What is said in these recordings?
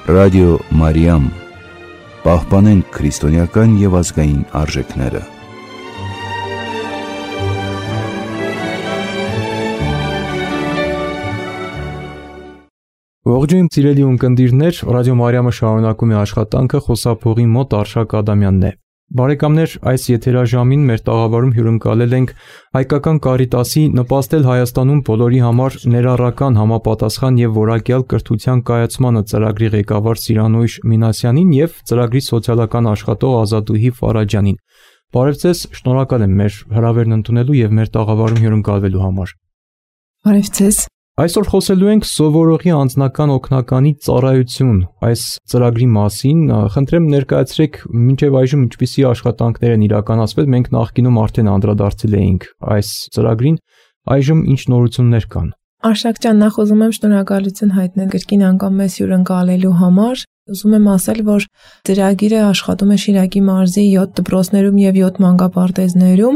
Ռադիո Մարիամ, պահպանենք քրիստոնեական և ազգային արժեքները։ Ողջույն սիրելի ունկնդիրներ, Ռադիո Մարիամը շարունակում է աշխատանքը, խոսափողի մոտ Արշակ Ադամյանն է։ Բարեկամներ, այս եթերաժամին մեր տաղավարում հյուրընկալել ենք Հայկական Կարիտասի «Նպաստել Հայաստանում բոլորի համար» ներառական համապատասխան և որակյալ կրթության կայացմանը ծրագրի ղեկավար Սիրանույշ Մինասյանին և ծրագրի սոցիալական աշխատող Ազատուհի Ֆարաջյանին։ Բարև ձեզ, շնորհակալ եմ մեր հրավերն ընդունելու և մեր տաղավարում հյուրընկալվելու համար։ Բարև ձեզ։ Այսօր խոսելու ենք սովորողի անձնական օգնականի ծառայություն այս ծրագրի մասին։ Խնդրեմ ներկայացրեք մինչև այժմ ինչպիսի աշխատանքներ են իրականացվել։ Մենք նախկինում արդեն անդրադարձել էինք այս ծրագրին, այժմ ինչ նորություններ կան։ Արշակ ջան, նախ ուզում եմ շնորհակալություն հայտնել կրկին անգամ մեզ հյուրընկալելու համար։ Ուզում եմ ասել, որ ծրագիրը աշխատում է Շիրակի մարզի 7 դպրոցներում և 7 մանկապարտեզներում,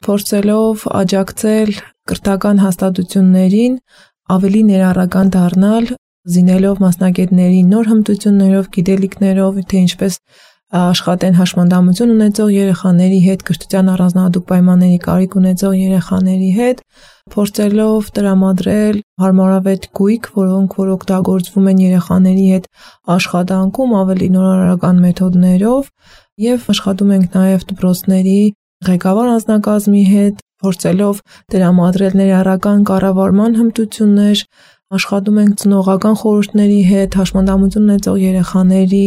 փորձելով աջակցել կրթական հաստատություններին ավելի ներառական դառնալ, զինելով մասնագետներին նոր հմտություններով, գիտելիքներով, թե ինչպես աշխատեն հաշմանդամություն ունեցող երեխաների հետ, կրթության առանձնահատուկ պայմանների կարիք ունեցող երեխաների հետ, փորձելով տրամադրել հարմարավետ գույք, որոնք որ օգտագործվում են երեխաների հետ աշխատանքում ավելի նորարարական մեթոդներով, եւ աշխատում ենք նաեւ դպրոցների ղեկավար անձնակազմի հետ, փորձելով տրամադրել ներառական կառավարման հմտություններ, աշխատում ենք ծնողական խորհուրդների հետ, հաշմանդամություն ունեցող երեխաների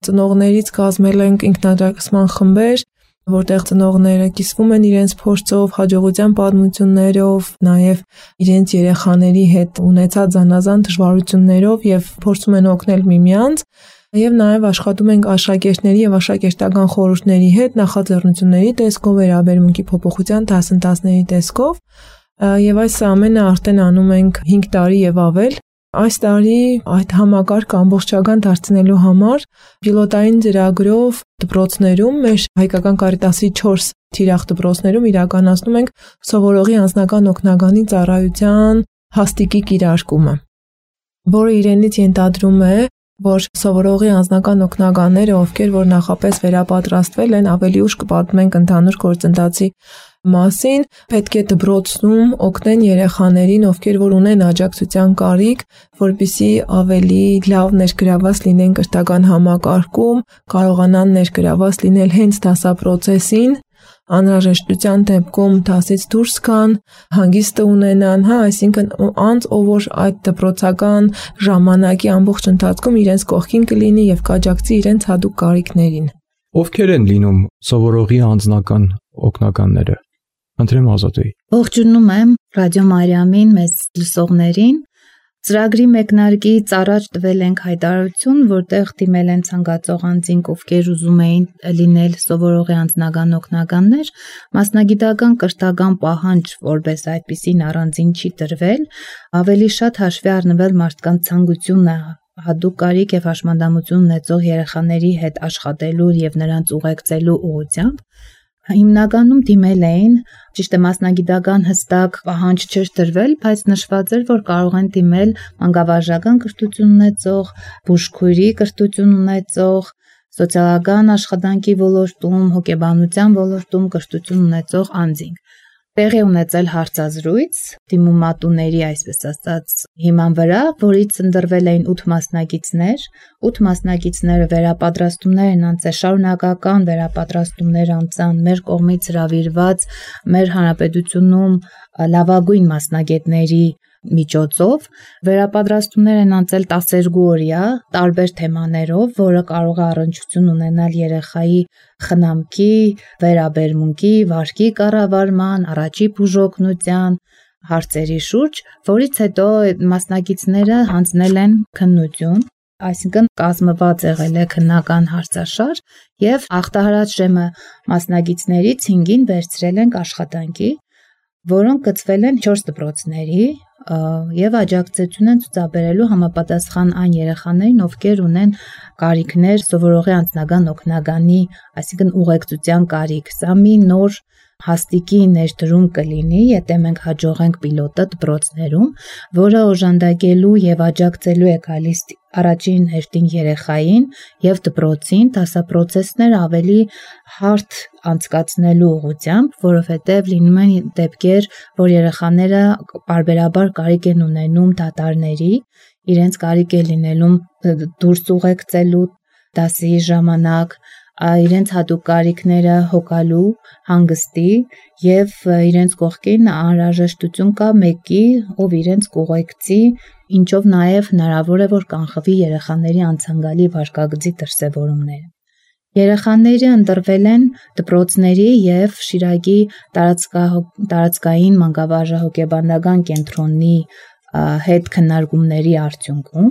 ծնողներից կազմել ենք ինքնաջակցման խմբեր, որտեղ ծնողները կիսվում են իրենց փորձով, հաջողության պատմություններով, նաև իրենց երեխաների հետ ունեցած զանազան դժվարություններով եւ փորձում են օգնել միմյանց, եւ նաև աշխատում ենք աշակերտների եւ աշակերտական խորհուրդների հետ նախաձեռնությունների տեսքով, վերաբերմունքի փոփոխության դասընթացների տեսքով, եւ այս ամենը արդեն անում ենք 5 տարի եւ ավել։ Այս տարի այդ համակարգը ամբողջական դարձնելու համար պիլոտային ծրագրով դպրոցներում, մեր Հայկական Կարիտասի 4 թիրախ դպրոցներում իրականացնում ենք սովորողի անձնական օգնականի ծառայության հաստիկի կիրարկումը, որը իրենից ենթադրում է, որ սովորողի անձնական օգնականները, ովքեր որ նախապես վերապատրաստվել են, ավելի ուշ կպատմենք ընդհանուր գործընթացի մասին, պետք է դպրոցում օգնեն երեխաներին, ովքեր որ ունեն աջակցության կարիք, որպեսզի ավելի լավ ներգրավված լինեն կրթական համակարգում, կարողանան ներգրավված լինել հենց դասապրոցեսին, անհրաժեշտության դեպքում դասից դուրս գան, հանգիստը ունենան, այսինքն անց ով որ այդ դպրոցական ժամանակի ամբողջ ընթացքում իրենց կողքին կլինի եւ կաջակցի իրենց հատուկ կարիքներին։ Ովքեր են լինում սովորողի անձնական օգնականները։ Խնդրեմ Ազատուհի։ Ողջունում եմ Ռադիո Մարիամին, մեզ լսողներին։ Ծրագրի մեկնարկից առաջ տվել ենք հայտարարություն, որտեղ դիմել են ցանկացող անձինք, ովքեր ուզում էին լինել սովորողի անձնական օգնականներ, մասնագիտական կրթական պահանջ, որպես այդպիսին առանձին չի տրվել, ավելի շատ հաշվի առնվել մարդկանց ցանկությունը հատուկ կարիք եւ հաշմանդամություն ունեցող երեխաների հետ աշխատելու եւ նրանց ուղեկցելու ուղղությամբ։ Հիմնականում դիմել էին, ճիշտ է, մասնագիտական հստակ պահանջ չէր տրվել, բայց նշված էր, որ կարող են դիմել մանկավարժական կրթություն ունեցող, բուժքույրի կրթություն ունեցող, սոցիալական աշխատանքի ոլորտում, հոգեբանության ոլորտում կրթություն ունեցող անձինք։ Տեղի ունեցել հարցազրույց դիմումատուների, այսպես ասած, հիման վրա, որից ընտրվել էին 8 մասնակիցներ, 8 մասնակիցները վերապատրաստումներ են անցել, շարունակական վերապատրաստումներ անցան մեր կողմից հրավիրված մեր հանրապետությունում լավագույն մասնագետների միջոցով, վերապատրաստումներ են անցել 12 օրյա տարբեր թեմաներով, որը կարող է առնչություն ունենալ երեխայի խնամքի, վերաբերմունքի, վարքի կառավարման, առաջի բուժօգնության հարցերի շուրջ, որից հետո մասնակիցները հանձնել են քննություն, այսինքն կազմված եղել է քննական հարցաշար եւ ախտահարած ժամը մասնակիցներից 5-ին վերցրել ենք աշխատանքի, որոնք գծվել են 4 դպրոցների եւ աջակցություն են ցուցաբերելու համապատասխան այն երեխաներին, ովքեր ունեն կարիքներ սովորողի անձնական օգնականի, այսինքն ուղեկցության կարիք։ Սա մի նոր հաստիկի ներդրում կլինի, եթե մենք հաջողենք պիլոտը դպրոցներում, որը օժանդակելու եւ աջակցելու է գալիս առաջին հերթին երեխային եւ դպրոցին դասապրոցեսներ ավելի հարթ անցկացնելու ուղղությամբ, որովհետեւ լինում են դեպքեր, որ երեխաները բարբերաբար կարիք են ունենում դատարների, իրենց կարիք է լինելում դուրս ուղեկցելու դասի ժամանակ, իրենց հատուկ կարիքները հոգալու, հանգստի եւ իրենց կողքին անհրաժեշտություն կա մեկի, ով իրենց կուղեկցի, ինչով նաեւ հնարավոր է որ կանխվի երեխաների անցանկալի վարքագծի դրսևորումները։ Երեխաները ընտրվել են դպրոցների եւ Շիրակի տարածքային մանկավարժահոգեբանական կենտրոնի հետ քննարկումների արդյունքում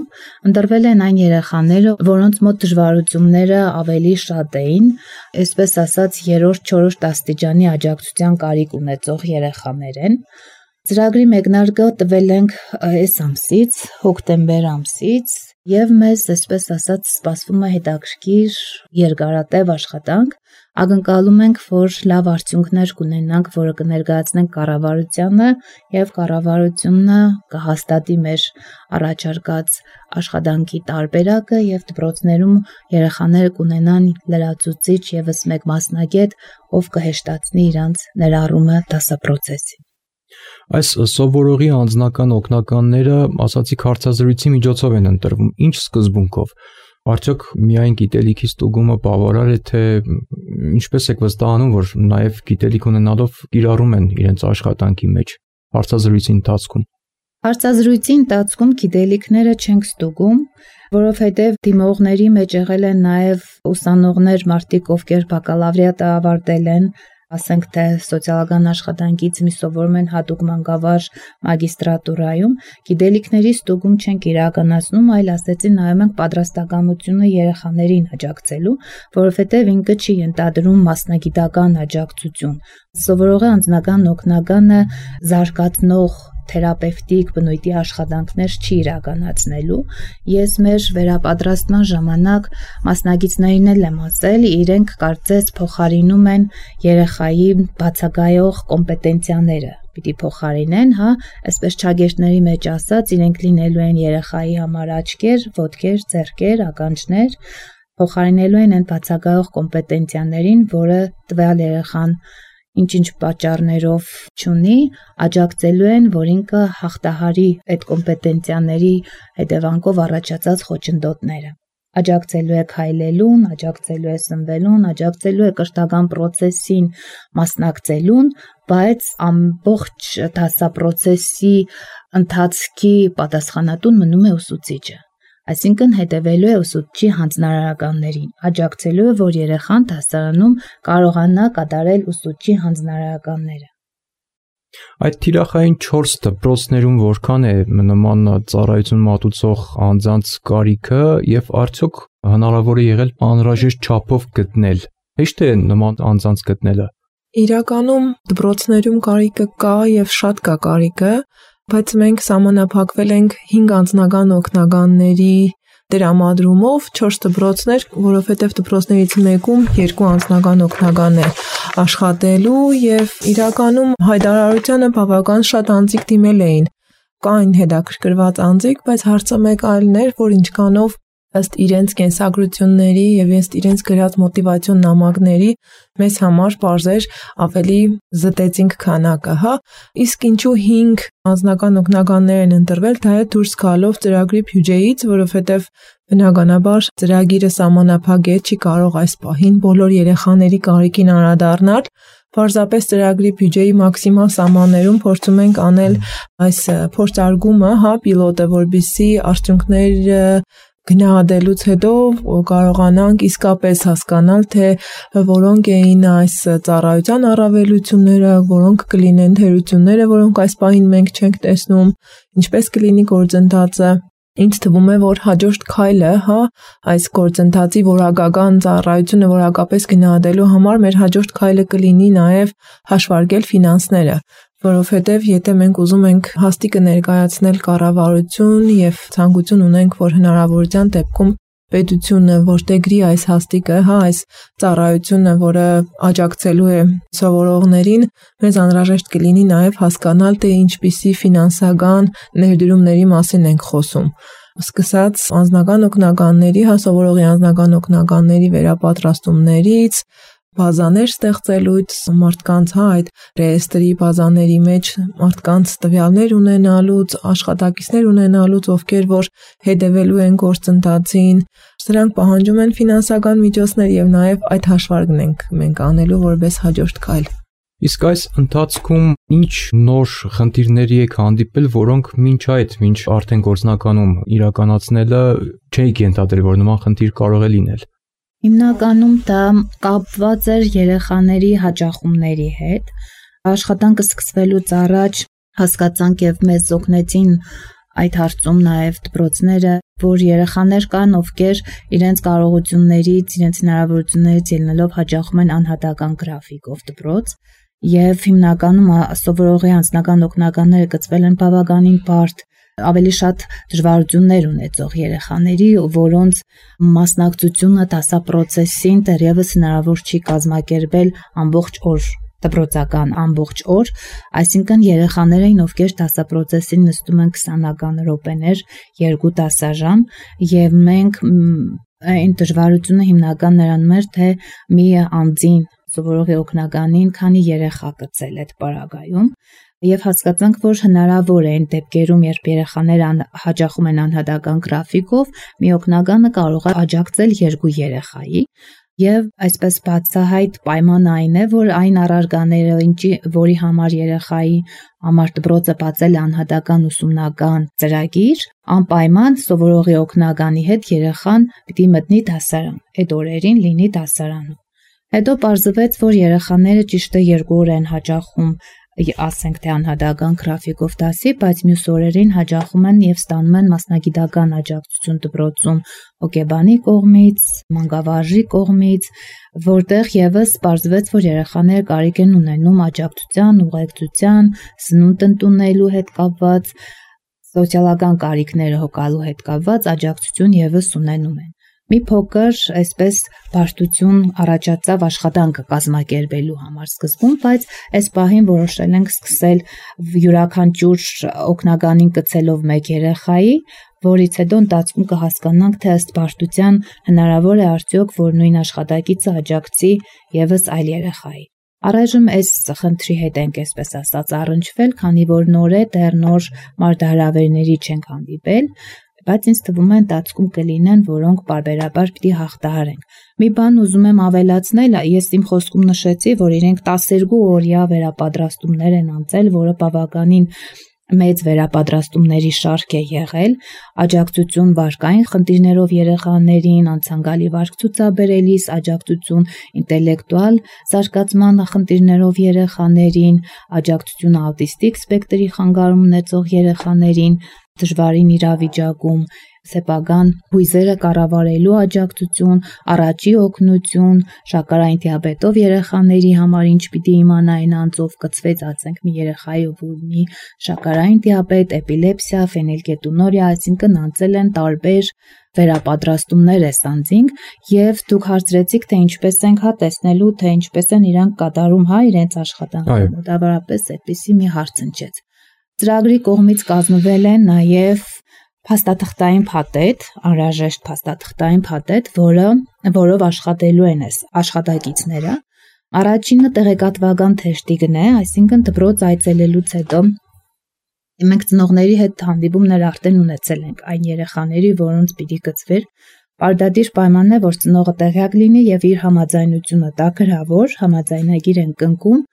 ընտրվել են այն երեխաները, որոնց մոտ դժվարությունները ավելի շատ էին, այսպես ասած 3-4 աստիճանի աջակցության կարիք ունեցող երեխաներ են։ Ծրագրի մեկնարկը տվել ենք այս ամսից, հոկտեմբեր ամսից, եւ մեզ, այսպես ասած, սպասվում է հետաքրքիր երկարատև աշխատանք։ Ակնկալում ենք, որ լավ արդյունքներ կունենանք, որը կներկայացնենք կառավարությանը եւ կառավարությունը կհաստատի մեր առաջարկած աշխատանքի տարբերակը եւ դպրոցներում երեխաները կունենան լրացուցիչ եւս մեկ մասնագետ, ով կհեշտացնի իրանց ներառումը դասապրոցեսին։ Այս սովորողի անձնական օգնականները, ասացիք, հարցազրույցի միջոցով են ընտրվում։ Ինչ սկզբունքով։ Արդյոք միայն գիտելիքի ստուգումը բավարար է, թե ինչպես եք վստահանում, որ նաև գիտելիք ունենալով կիրառում են իրենց աշխատանքի մեջ հարցազրույցի ընթացքում։ Հարցազրույցի ընթացքում գիտելիքները չենք ստուգում, որովհետև դիմողների մեջ եղել են նաև ուսանողներ, մարդիկ, ովքեր բակալավրիատը ավարտել են, ասենք թե սոցիալական աշխատանքից մի սովորում են հատուկ մանկավարժ մագիստրատուրայում, գիտելիքների ստուգում չենք իրականացնում, այլ ասեցի նայում ենք պատրաստականությունը երեխաներին աջակցելու, որովհետև ինքը չի ենթադրում մասնագիտական աջակցություն։ Սովորողի անձնական օգնականը զարգացնող թերապևտիկ բնույթի աշխատանքներ չի իրականացնելու։ Ես մեր վերապատրաստման ժամանակ մասնագետներին էլ եմ ասել, իրենք կարծես փոխարինում են երեխայի բացակայող կոմպետենցիաները։ Պիտի փոխարինեն, այսպես չագերտների մեջ ասած, իրենք լինելու են երեխայի համար աչքեր, ոտքեր, ձեռքեր, ականջներ, փոխարինելու են այն բացակայող կոմպետենցիաներին, որը տվյալ երեխան ինչ-ինչ պատճառներով չունի, աջակցելու են, որ ինքը հաղթահարի այդ կոմպետենցիաների հետևանքով առաջացած խոչընդոտները։ Աջակցելու է քայլելուն, աջակցելու է սնվելուն, աջակցելու է կրթական process-ին մասնակցելուն, բայց ամբողջ դասապրոցեսի ընթացքի պատասխանատուն մնում է ուսուցիչը։ Այսինքն հետևելու է ուսուցչի հանձնարարականներին, աջակցելու է, որ երեխան դասարանում կարողանա կատարել ուսուցչի հանձնարարականները։ Այդ թիրախային 4 դպրոցներում որքան է նման ծառայություն մատուցող անձանց կարիքը եւ արդյոք հնարավոր է եղել անհրաժեշտ չափով գտնել։ Հեշտ է նման անձանց գտնելը։ Իրականում դպրոցներում կարիքը կա եւ շատ կա կարիքը, բայց մենք սահմանափակվել ենք 5 անձնական օգնականների դրամադրումով 4 դպրոցներ, որովհետև դպրոցներից մեկում 2 անձնական օգնական է աշխատելու եւ իրականում հայտարարությանը բավական շատ անձիկ դիմել էին։ Կային հետաքրքրված անձիկ, բայց հարցը մեկ այլն էր, որ ինչքանով ըստ իրենց կենսագրությունների եւ ըստ իրենց գրած մոտիվացիոն նամակների մեզ համար բարձր ավելի զտեցինք քանակը, իսկ ինչու 5 անձնական օգնականներ են ընտրվել, դա է դուրս գալով ծրագրի բյուջեից, որովհետեւ բնականաբար ծրագիրը սահմանափակ է, չի կարող այս պահին բոլոր երեխաների կարիքին անդրադառնալ։ Պարզապես ծրագրի բյուջեի մաքսիմալ սահմաններում փորձում ենք անել այս փորձարկումը, պիլոտը, որպեսզի արդյունքները գնահատելուց հետո կարողանանք իսկապես հասկանալ, թե որոնք էին այս ծառայության առավելությունները, որոնք կլինեն թերությունները, որոնք այս պահին մենք չենք տեսնում, ինչպես կլինի գործընթացը։ Ինձ թվում է, որ հաջորդ քայլը, այս գործընթացի որակական ծառայությունը որակապես գնահատելու համար մեր հաջորդ քայլը կլինի նաև հաշվարկել ֆինանսները, որովհետև եթե մենք ուզում ենք հաստիկը ներկայացնել կառավարություն եւ ցանկություն ունենք, որ հնարավորության դեպքում պետությունը որտեգրի այս հաստիկը, այս ծառայությունը, որը աջակցելու է սովորողներին, մեզ անհրաժեշտ կլինի նաև հասկանալ, թե ինչպիսի ֆինանսական ներդրումների մասին ենք խոսում։ Սկսած անձնական օգնականների, սովորողի անձնական օգնականների վերապատրաստումներից, բազաներ ստեղծելուց, մարդկանց այդ ռեեստրի բազաների մեջ մարդկանց տվյալներ ունենալուց, աշխատակիցներ ունենալուց, ովքեր որ հետևելու են գործընթացին, սրանք պահանջում են ֆինանսական միջոցներ եւ նաեւ այդ հաշվարկն ենք մենք անելու որպես հաջորդ քայլ։ Իսկ այս ընթացքում ինչ նոր խնդիրների եք հանդիպել, որոնք մինչ արդեն գործնականում իրականացնելը չէիք ենթադրել, որ նման խնդիր կարող է լինել։ Հիմնականում դա կապված էր երեխաների հաճախումների հետ։ Աշխատանքը սկսվելուց առաջ հասկացանք եւ մեզ օգնեցին այդ հարցում նաեւ դպրոցները, որ երեխաներ կան, ովքեր իրենց կարողություններից, իրենց հնարավորություններից ելնելով հաճախում են անհատական գրաֆիկով դպրոց, եւ հիմնականում սովորողի անձնական օգնականները գծվել են բավականին բարդ, ավելի շատ դժվարություններ ունեցող երեխաների, որոնց մասնակցությունը դասապրոցեսին դեռևս հնարավոր չի կազմակերպել ամբողջ օր, դպրոցական ամբողջ օր, այսինքն երեխաներ էին, ովքեր դասապրոցեսին նստում են 20-ական րոպեներ, 2 դասաժամ, եւ մենք այն դժվարությունը հիմնական նրանում էր, թե մի անձին սովորողի օգնականին քանի երեխա գծել այդ պարագայում, եւ հասկացանք, որ հնարավոր է այն դեպքերում, երբ երեխաները հաճախում են անհատական գրաֆիկով, մի օգնականը կարող է աջակցել 2 երեխայի, եւ այսպես բացահայտ պայմանը այն է, որ այն առարգաները, որի համար երեխայի համար դպրոցը բացել է անհատական ուսումնական ծրագիր, անպայման սովորողի օգնականի հետ երեխան պիտի մտնի դասարան, այդ օրերին լինի դասարանում։ Հետո պարզվեց, որ երեխաները ճիշտ է 2 օր են հաճախում, ասենք թե անհատական գրաֆիկով դասի, բայց մյուս օրերին հաճախում են եւ ստանում են մասնագիտական աջակցություն դպրոցում հոգեբանի կողմից, մանկավարժի կողմից, որտեղ եւս պարզվեց, որ երեխաները կարիք են ունենում աջակցության, ուղեկցության, սնունդ ընդունելու հետ կապված, սոցիալական կարիքները հոգալու հետ կապված աջակցություն եւս ունենում են։ Մի փոքր այսպես բարդություն առաջացավ աշխատանքը կազմակերպելու համար սկզբում, բայց այս պահին որոշել ենք սկսել յուրաքանչյուր օգնականին գցելով 1 երեխայի, որից հետո ընթացքում կհասկանանք, թե ըստ բարդության հնարավոր է արդյոք, որ նույն աշխատակիցը աջակցի եւս այլ երեխայի։ Առայժմ այս խնդրի հետ ենք այսպես ասած առնչվել, քանի որ նոր է, դեռ նոր մարտահրավերների չենք հանդիպել, բայց ինձ թվում է ընթացքում կլինեն, որոնք պարբերաբար պիտի հաղթահարենք։ Մի բան ուզում եմ ավելացնել, ես իմ խոսքում նշեցի, որ իրենք 12 օրյա վերապատրաստումներ են անցել, որը բավականին մեծ վերապատրաստումների շարք է եղել, աջակցություն վարկային խնդիրներով երեխաներին, անցանկալի վարք ցուցաբերելիս, աջակցություն ինտելեկտուալ զարգացման խնդիրներով երեխաներին, աջակցություն աուտիստիկ սպեկտրի խանգարում ունեցող երեխաներին, դժվարին իրավիճակում, սեփական հույզերը կառավարելու աջակցություն, առաջի օգնություն, շաքարային դիաբետով երեխաների համար ինչ պիտի իմանային անձով կծվեց, ասենք մի երեխայի, ով ունի շաքարային դիաբետ, էպիլեպսիա, ֆենիլկետոնուրիա, այսինքն անցել են տարբեր վերապատրաստումներ էս անձինք, եւ դուք հարցրեցիք, թե ինչպես ենք տեսնելու, թե ինչպես են իրանք կատարում իրենց աշխատանքը, մոտավորապես այդպիսի մի հարց ընչեց։ Ծրագրի կողմից կազմվել է նաև փաստաթղթային փաթեթ, անհրաժեշտ փաստաթղթային փաթեթ, որով աշխատելու են այս աշխատակիցները։ Առաջինը տեղեկատվական թեշտիկն է, այսինքն դպրոց այցելելուց հետո մենք ծնողների հետ հանդիպումներ արդեն ունեցել ենք այն երեխաների, որոնց պիտի գծվեր։ Պարտադիր պայմանն է, որ ծնողը տեղյակ լինի եւ իր համաձայնությունը տա գրավոր, համաձայնագիր են կնքում,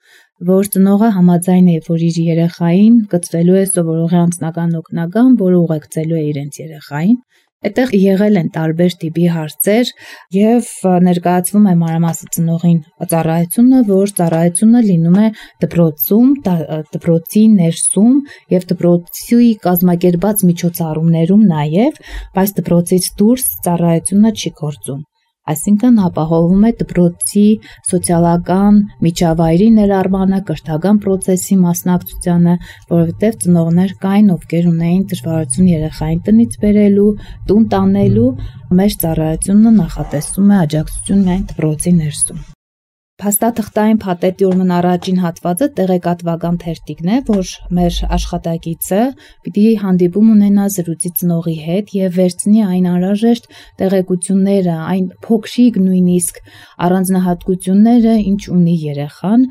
որ ծնողը համաձայն է, որ իր երեխային գծվելու է սովորողի անձնական օգնական, որը ուղեկցելու է իրենց երեխային։ Այդտեղ եղել են տարբեր տիպի հարցեր եւ ներկայացվում է մանրամասն ծնողին ծառայությունը, որ ծառայությունը լինում է դպրոցում, դպրոցի ներսում եւ դպրոցի կազմակերպած միջոցառումներում նաեւ, բայց դպրոցից դուրս ծառայությունը չի գործում։ Այսինքն ապահովում է դպրոցի սոցիալական միջավայրի ներառմանը, կրթական process-ի մասնակցությանը, որովհետև ծնողներ կային, ովքեր ունեին դժվարություն երեխային տնից բերելու, տուն տանելու, մեր ծառայությունը նախատեսում է աջակցություն միայն դպրոցի ներսում։ Փաստաթղթային փաթեթի ուրեմն առաջին հատվածը տեղեկատվական թերթիկն է, որ մեր աշխատակիցը պիտի հանդիպում ունենա զրույցի ծնողի հետ եւ վերցնի այն անհրաժեշտ տեղեկությունները, այն փոքրիկ նույնիսկ առանձնահատկությունները, ինչ ունի երեխան,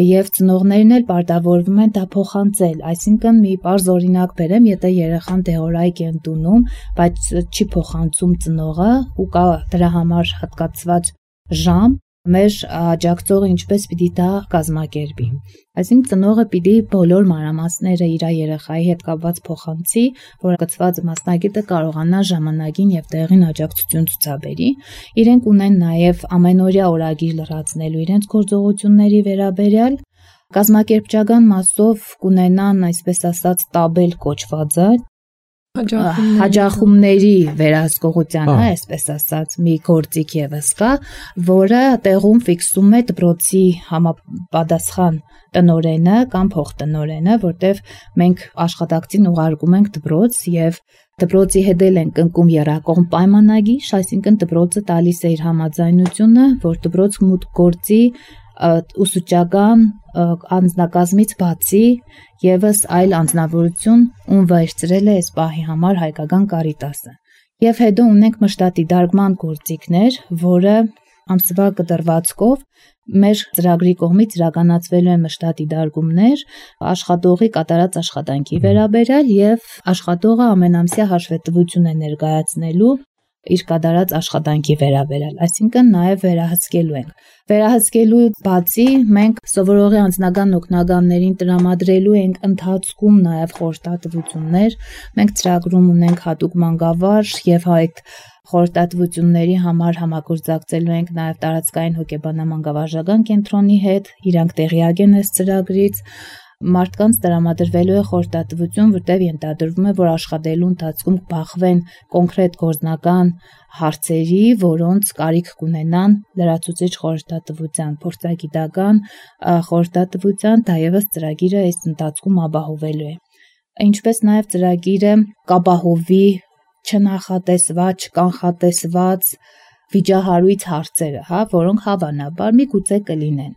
եւ ծնողներն էլ պարտավորվում են դա փոխանցել, այսինքն մի պարզ օրինակ բերեմ, եթե երեխան դեղորայք է ընդունում, բայց չի փոխանցում ծնողը ու կա դրա համար հատկացված ժամ, մեր աջակցողը ինչպես պիտի դա կազմակերպի։ Այսինքն ծնողը պիտի բոլոր մանրամասները իր երեխայի հետ կապված փոխանցի, որ կցված մասնագետը կարողանա ժամանակին եւ տեղին աջակցություն ցուցաբերի։ Իրենք ունեն նաեւ ամենօրյա օրագիր լրացնելու իրենց գործողությունների վերաբերյալ կազմակերպչական մասով կունենան, այսպես ասած, տաբել կոչվածը, հաջախումների վերահսկողության, այսպես ասած, մի գործիք եւս կա, որը տեղում ֆիքսում է դպրոցի համապատասխան տնօրենը կամ փոխտնօրենը, որտեղ մենք աշխատակցին ուղարկում ենք դպրոց եւ դպրոցի հետ ենք ընկում երակողմ պայմանագիր, այսինքն դպրոցը տալիս է իր համաձայնությունը, որ դպրոց մուտք գործի ուսուցչական անձնակազմից բացի եւս այլ անձնավորություն, ում վերցրել է այս պահի համար հայկական Կարիտասը։ Եվ հետո ունենք մշտադիտարկման գործիքներ, որը ամսվա կտրվածքով մեր ծրագրի կողմից իրականացվելու են մշտադիտարկումներ աշխատողի կատարած աշխատանքի վերաբերյալ եւ աշխատողը ամենամսյա հաշվետվություն է ներկայացնելու իր կատարած աշխատանքի վերաբերյալ, այսինքն նաև վերահսկելու ենք։ Վերահսկելու բացի մենք սովորողի անձնական օգնականներին տրամադրելու ենք ընթացքում նաև խորհրդատվություններ, մենք ծրագրում ունենք հատուկ մանկավար եւ այդ խորհրդատվությունների համար համագործակցելու ենք նաև տարածքային հոգեբանամանկավարժական կենտրոնի հետ, իրանք տեղյակ են այս ծրագրից։ Մարդկանց տրամադրվելու է խորհրդատվություն, որտեղ ենթադրվում է, որ աշխատելու ընթացքում կբախվեն կոնկրետ գործնական հարցերի, որոնց կարիք կունենան լրացուցիչ խորհրդատվության, փորձագիտական խորհրդատվության, դա ևս ծրագիրը այս ընթացքում ապահովելու է։ Ինչպես նաև ծրագիրը կապահովի չնախատեսված, չկանխատեսված վիճահարույց հարցերը, որոնք հավանաբար միգուցե կլինեն։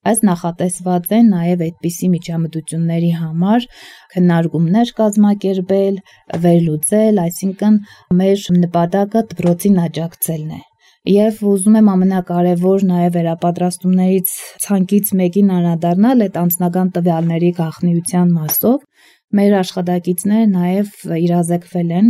Այս նախատեսված են նաև այդպիսի միջամտությունների համար քննարկումներ կազմակերպել, վերլուծել, այսինքն մեր նպատակը դպրոցին աջակցելն է։ Եվ ուզում եմ ամենակարևոր նաև վերապատրաստումներից ցանկից մեկին անդրադառնալ այդ անձնական տվյալների գաղտնիության մասով։ Մեր աշխատակիցները նաև իրազեկվել են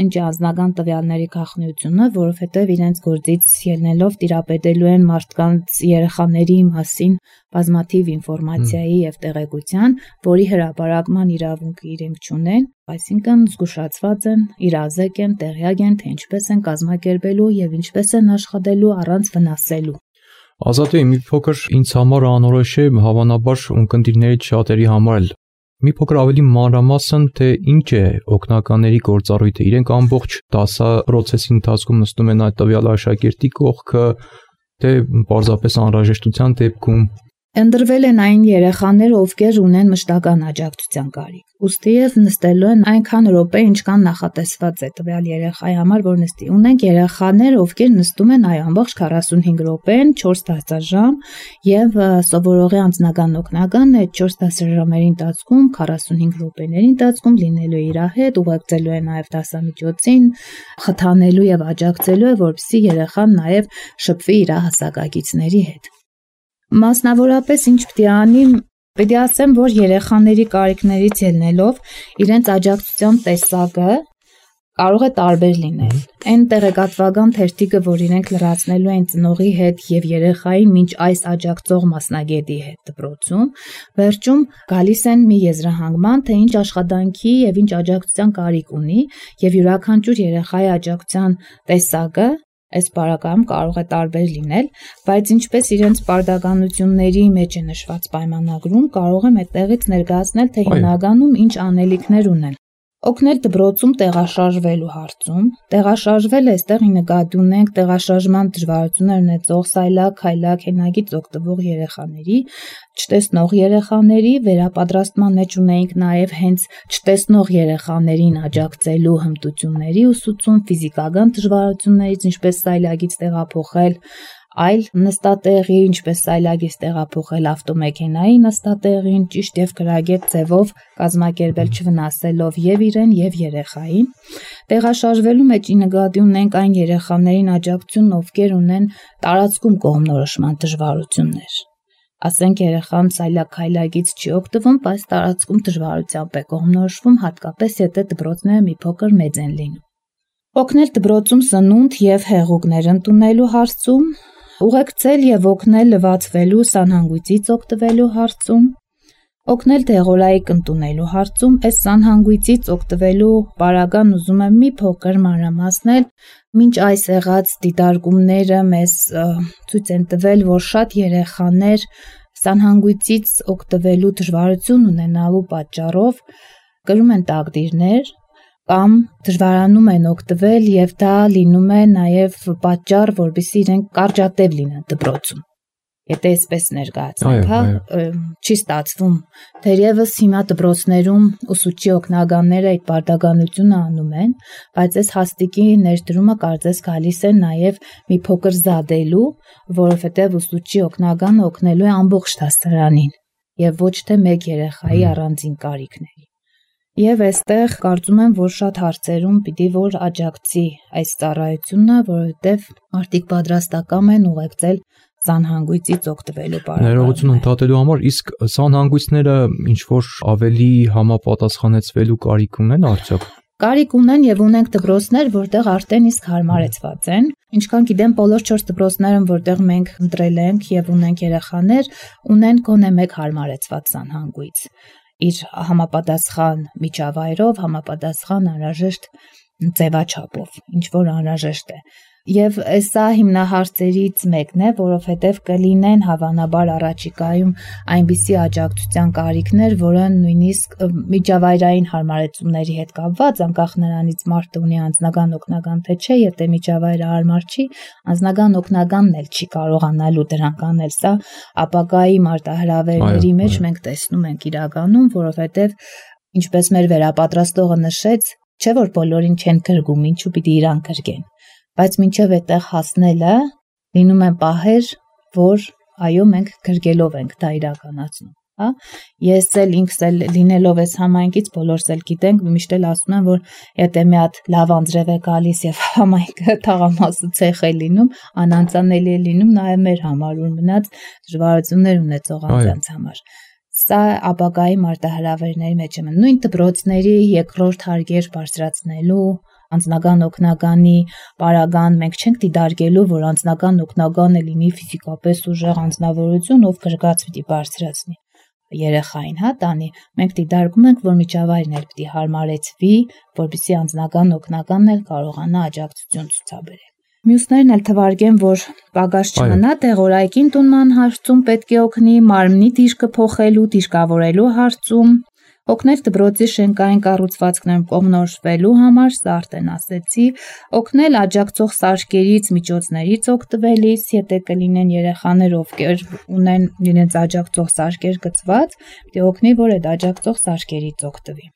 ինչ անձնական տվյալների գաղտնիությունը, որովհետև իրենց գործից ելնելով տիրապետելու են մարդկանց երեխաների մասին բազմաթիվ ինֆորմացիայի եւ տեղեկության, որի հրապարակման իրավունք իրենք չունեն, այսինքն զգուշացված են, իրազեկ են, տեղյակ են, թե ինչպես են կազմակերպելու եւ ինչպես են աշխատելու առանց վնասելու։ Ազատի մի փոքր ինձ համար անորոշ է, հավանաբար ունկնդիրներից շատերի համար էլ մի փոքր ավելի մանրամասն թե ինչ է օգնականների գործառույթը, իրենք ամբողջ դասապրոցեսի ընթացքում նստում են այդ տվյալ աշակերտի կողքը, թե պարզապես անհրաժեշտության դեպքում Ընտրվել են այն երեխաները, ովքեր ունեն մշտական աջակցության կարիք։ Ուստի եւ նստելու են այնքան րոպե, ինչքան նախատեսված է տվյալ երեխայի համար, որ նստի։ Ունենք երեխաներ, ովքեր նստում են ամբողջ 45 րոպեն, 4 դասաժամ եւ սովորողի անձնական օգնական այդ 4 դասաժամերի ընթացքում 45 րոպեների ընթացքում լինելու իր հետ, ուղեկցելու է նաեւ դասամիջոցին, խթանելու եւ աջակցելու է, որպեսզի երեխան նաեւ շփվի իր հասակակիցների հետ։ Մասնավորապես ինչ պիտի անի, պիտի ասեմ, որ երեխաների կարիքներից ելնելով իրենց աջակցության տեսակը կարող է տարբեր լինել։ Այն տեղեկատվական թերթիկը, որ իրենք լրացնելու են ծնողի հետ եւ երեխայի մինչ այս աջակցող մասնագետի հետ դպրոցում, վերջում գալիս են մի եզրահանգման, թե ինչ աշխատանքի եւ ինչ աջակցության կարիք ունի եւ յուրաքանչյուր երեխայի աջակցության տեսակը այս բարակայում կարող է տարբեր լինել, բայց ինչպես իրենց պարտականությունների մեջ է նշված պայմանագրում, կարող եմ այդտեղից ներկայացնել, թե հիմնականում ինչ անելիքներ ունեն։ Օգնել դպրոցում տեղաշարժվելու հարցում։ Տեղաշարժվել այստեղ նկատի ունենք տեղաշարժման դժվարություններ ունեցող սայլակ, քայլակ, հենագից օգտվող երեխաների, չտեսնող երեխաների, վերապատրաստման մեջ ունենք նաև հենց չտեսնող երեխաներին աջակցելու հմտությունների ուսուցում, ֆիզիկական դժվարություններից, ինչպես սայլակից տեղափոխել այլ նստատեղի, ինչպես սայլակից տեղափոխել ավտոմեքենայի նստատեղին, ճիշտ եւ գրագետ ձևով կազմակերպել չվնասելով եւ իրեն եւ երեխային։ Տեղաշարժվելու մեջ նկատի ունենք այն երեխաներին աջակցություն, ովքեր ունեն տարածքում կողմնորոշման դժվարություններ։ Ասենք երեխան սայլակ-քայլակից չի օգտվում, բայց տարածքում դժվարությամբ է կողմնորոշվում, հատկապես եթե դպրոցները մի փոքր մեծ են լինում։ Օգնել դպրոցում սնունդ եւ հեղուկներ ընդունելու հարցում, ուղեկցել եւ օգնել լվացվելու սանհանգույցից օգտվելու հարցում, օգնել դեղորայք ընդունելու հարցում, այս սանհանգույցից օգտվելու պարագան ուզում եմ մի փոքր մանրամասնել, մինչ այս եղած դիտարկումները մեզ ցույց են տվել, որ շատ երեխաներ սանհանգույցից օգտվելու դժվարություն ունենալու պատճառով կրում են տակդիրներ կամ դժվարանում են օգտվել եւ դա լինում է նաեւ պատճառ, որովհետեւ իրենք կարճատև լինեն դպրոցում։ Եթե այսպես ներկայացնենք, չի ստացվում։ Թերևս հիմա դպրոցներում ուսուցչի օգնականները այդ պարտականությունը անում են, բայց այս հաստիկի ներդրումը կարծես գալիս է նաեւ մի փոքր զադելու, որովհետեւ ուսուցչի օգնականը օգնելու է ամբողջ դասարանին եւ ոչ թե մեկ երեխայի առանձին կարիքների։ Եվ այստեղ կարծում եմ, որ շատ հարցերում պիտի որ աջակցի այս ծառայությունը, որովհետև մարդիկ պատրաստական են ուղեկցել սանհանգույցից օգտվելու պարագայում։ Ներողություն ընդհատելու համար, իսկ սանհանգույցները ինչ-որ ավելի համապատասխանեցվելու կարիք ունեն արդյոք։ Կարիք ունեն եւ ունենք դպրոցներ, որտեղ արդեն իսկ հարմարեցված են։ Ինչքան գիտեմ, բոլոր 4 դպրոցներում, որտեղ մենք ընտրել ենք եւ ունենք երեխաներ, ունեն գոնե մեկ հարմարեցված սանհանգույց։ Իր համապատասխան միջավայրով, համապատասխան անհրաժեշտ ձևաչափով, ինչ որ անհրաժեշտ է։ Եվ սա հիմնահարցերից մեկն է, որովհետև կլինեն հավանաբար առաջիկայում այնպիսի աջակցության կարիքներ, որը նույնիսկ միջավայրային հարմարեցումների հետ կապված, անկախ նրանից մարդը ունի անձնական օգնական թե չէ, եթե միջավայրը հարմար չի, անձնական օգնականն էլ չի կարողանալու դրանք անել։ Սա ապագայի մարտահրավերների մեջ մենք տեսնում ենք իրականում, որովհետև ինչպես մեր վերապատրաստողը նշեց, չէ որ բոլորին չեն գրգում, ինչու պիտի իրան գրգեն։ Բայց մինչև այդտեղ հասնելը լինում են պահեր, որ այո մենք գրգելով ենք դա իրականացնում, հա։ Ես էլ ինքս էլ լինելով այս համայնքից բոլորս էլ գիտենք, միշտ էլ ասում եմ, որ եթե մի հատ լավ անձրև է գալիս եւ համայնքը թաղամասու ցեխ է լինում, անանցանելի է լինում նաեւ մեր համար, որ մնաց դժվարություններ ունեցող անձանց համար։ Սա ապագայի մարտահրավերների մեջ է։ Նույն դպրոցների երկրորդ հարկեր բարձրացնելու անձնական օգնականի պարագան մենք չենք դիտարկելու, որ անձնական օգնականը լինի ֆիզիկապես ուժեղ անձնավորություն, ով գրգած պիտի բարձրացնի երեխային, հա, տանի։ Մենք դիտարկում ենք, որ միջավայրն էլ պիտի հարմարեցվի, որպեսզի անձնական օգնականն էլ կարողանա աջակցություն ցուցաբերել։ Մյուսներն էլ թվարկեն, որ պակաս չմնա տեղորայքի ընդունման հարցում պետք է օգնի, մարմնի դիրքը փոխելու, դիրքավորելու հարցում, օգնել դպրոցի շենքային կառուցվածքներում կողմնորոշվելու համար, սա արդեն ասեցի, օգնել աջակցող սարքերից, միջոցներից օգտվելիս, եթե կլինեն երեխաներ, ովքեր ունեն իրենց աջակցող սարքեր գծված, պետք է օգնի, որ այդ աջակցող սարքերից օգտվի։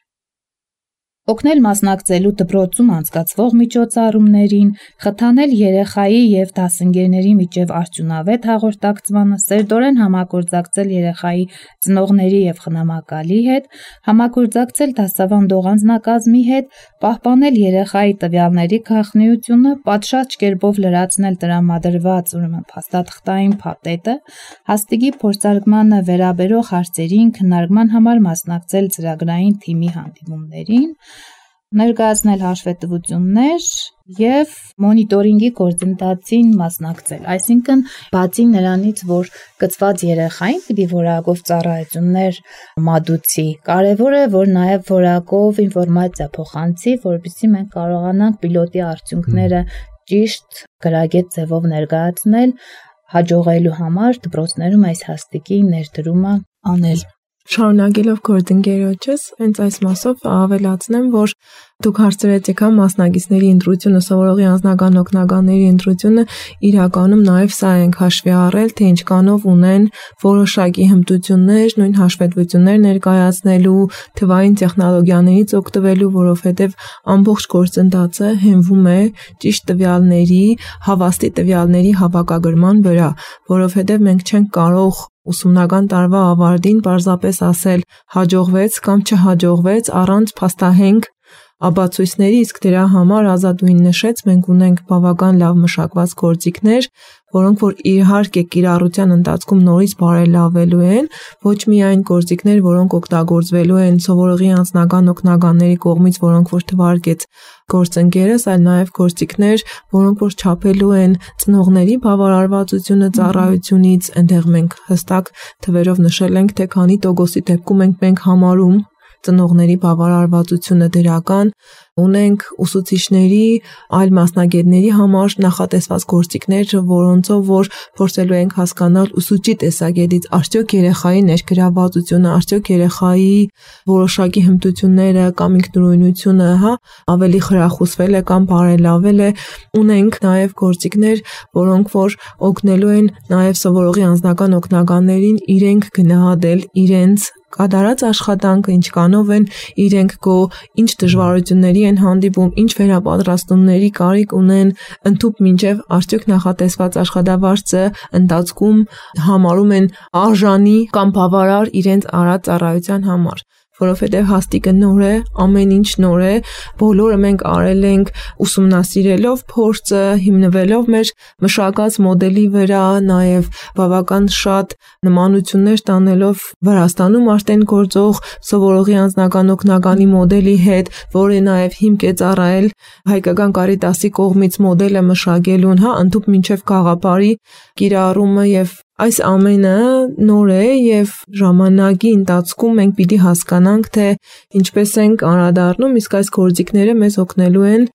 Օգնել մասնակցելու դպրոցում անցկացվող միջոցառումներին, խթանել երեխայի եւ դասընկերների միջև արդյունավետ հաղորդակցմանը, սերտորեն համագործակցել երեխայի ծնողների եւ խնամակալի հետ, համագործակցել դասավանդող անձնակազմի հետ, պահպանել երեխայի տվյալների գաղտնիությունը, պատշաճ կերպով լրացնել տրամադրված փաստաթղթային փաթեթը, հաստիգի փորձարկմանը վերաբերող հարցերին քննարկման համար մասնակցել ծրագրային թիմի հանդիպումներին, ներկայացնել հաշվետվություններ եւ մոնիտորինգի գործընթացին մասնակցել։ Այսինքն, բացի նրանից, որ կցված երեխային պիտի որակով ծառայություններ մատուցի, կարեւոր է, որ նաեւ որակով ինֆորմացիա փոխանցի, որպեսզի մենք կարողանանք պիլոտի արդյունքները ճիշտ գրագետ ձևով ներկայացնել, հաջողելու համար դպրոցներում այս հաստիկի ներդրումը անել։ Շարունակելով գործընկերոջս, հենց այս մասով ավելացնեմ, որ դուք հարցրեցիք մասնագետների ընտրությունը, սովորողի անձնական օգնականների ընտրությունը, իրականում նաև սա ենք հաշվի առել, թե ինչքանով ունեն որոշակի հմտություններ, նույն հաշվետվություններ ներկայացնելու, թվային տեխնոլոգիաներից օգտվելու, որովհետև ամբողջ գործընթացը հենվում է ճիշտ տվյալների, հավաստի տվյալների հավաքագրման վրա, որովհետև մենք չենք կարող ուսումնական տարվա ավարտին պարզապես ասել հաջողվեց կամ չհաջողվեց առանց փաստահենք ապացույցների, իսկ դրա համար Ազատուհին նշեց, մենք ունենք բավական լավ մշակված գործիքներ, որոնք որ իհարկե կիրառության ընթացքում նորից բարելավելու են, ոչ միայն գործիքներ, որոնք օգտագործվելու են սովորողի անձնական օգնականների կողմից, որոնք որ թվարկեց գործընկերս, այլ նաև գործիքներ, որոնք որ չափելու են ծնողների բավարարվածությունը ծառայությունից, այնտեղ մենք հստակ թվերով նշել ենք, թե քանի տոկոսի դեպքում մենք համարում ծնողների բավարարվածությունը դրական, ունենք ուսուցիչների, այլ մասնագետների համար նախատեսված գործիքներ, որոնցով որ փորձելու ենք հասկանալ ուսուցչի տեսակետից, արդյոք երեխայի ներգրավվածությունը, արդյոք երեխայի որոշակի հմտությունները կամ ինքնուրույնությունը, ավելի խրախուսվել է կամ բարելավել է, ունենք նաև գործիքներ, որոնք որ օգնելու են նաև սովորողի անձնական օգնականներին իրենք գնահատել իրենց կատարած աշխատանքը, ինչքանով են իրենք ինչ դժվարությունների են հանդիպում, ինչ վերապատրաստումների կարիք ունեն, ընդհուպ մինչև արդյոք նախատեսված աշխատավարձը ընթացքում համարում են արժանի կամ բավարար իրենց արած ծառայության համար, որովհետև հաստիկը նոր է, ամեն ինչ նոր է, բոլորը մենք արել ենք ուսումնասիրելով փորձը, հիմնվելով մեր մշակած մոդելի վրա, նաև բավական շատ նմանություններ տանելով Վրաստանում արդեն գործող սովորողի անձնական օգնականի մոդելի հետ, որը նաև հիմք է ծառայել Հայկական Կարիտասի կողմից մոդելը մշակելուն, ընդհուպ մինչև գաղափարի կիրառումը եւ այս ամենը նոր է եւ ժամանակի ընթացքում մենք պիտի հասկանանք, թե ինչպես ենք անդրադառնում, իսկ այս գործիքները մեզ օգնելու են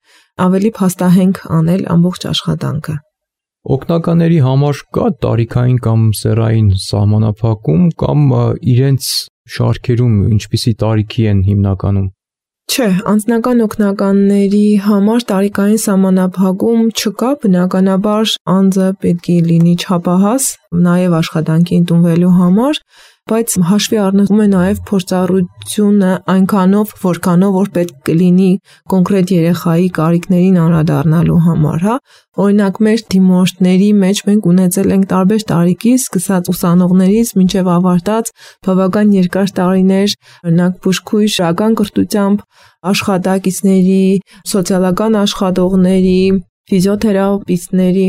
ավելի փաստահենք անել ամբողջ աշխատանքը։ Օգնականների համար կա տարիքային կամ սեռային սահմանափակում կամ իրենց շարքերում ինչպիսի տարիքի են հիմնականում։ Չէ, անձնական օգնականների համար տարիքային սահմանափակում չկա, բնականաբար անձը պետք է լինի չափահաս, նաև աշխատանքի ընդունվելու համար, բայց հաշվի առնվում է նաև փորձառությունը այնքանով, որքանով որ պետք կլինի կոնկրետ երեխայի կարիքներին անդրադառնալու համար, Օրինակ մեր դիմորդների մեջ մենք ունեցել ենք տարբեր տարիքի, սկսած ուսանողներից մինչև ավարտած բավական երկար տարիներ, օրինակ բուժքույր, շարական կրթությամբ աշխատակիցների, սոցիալական աշխատողների, ֆիզիոթերապիստների,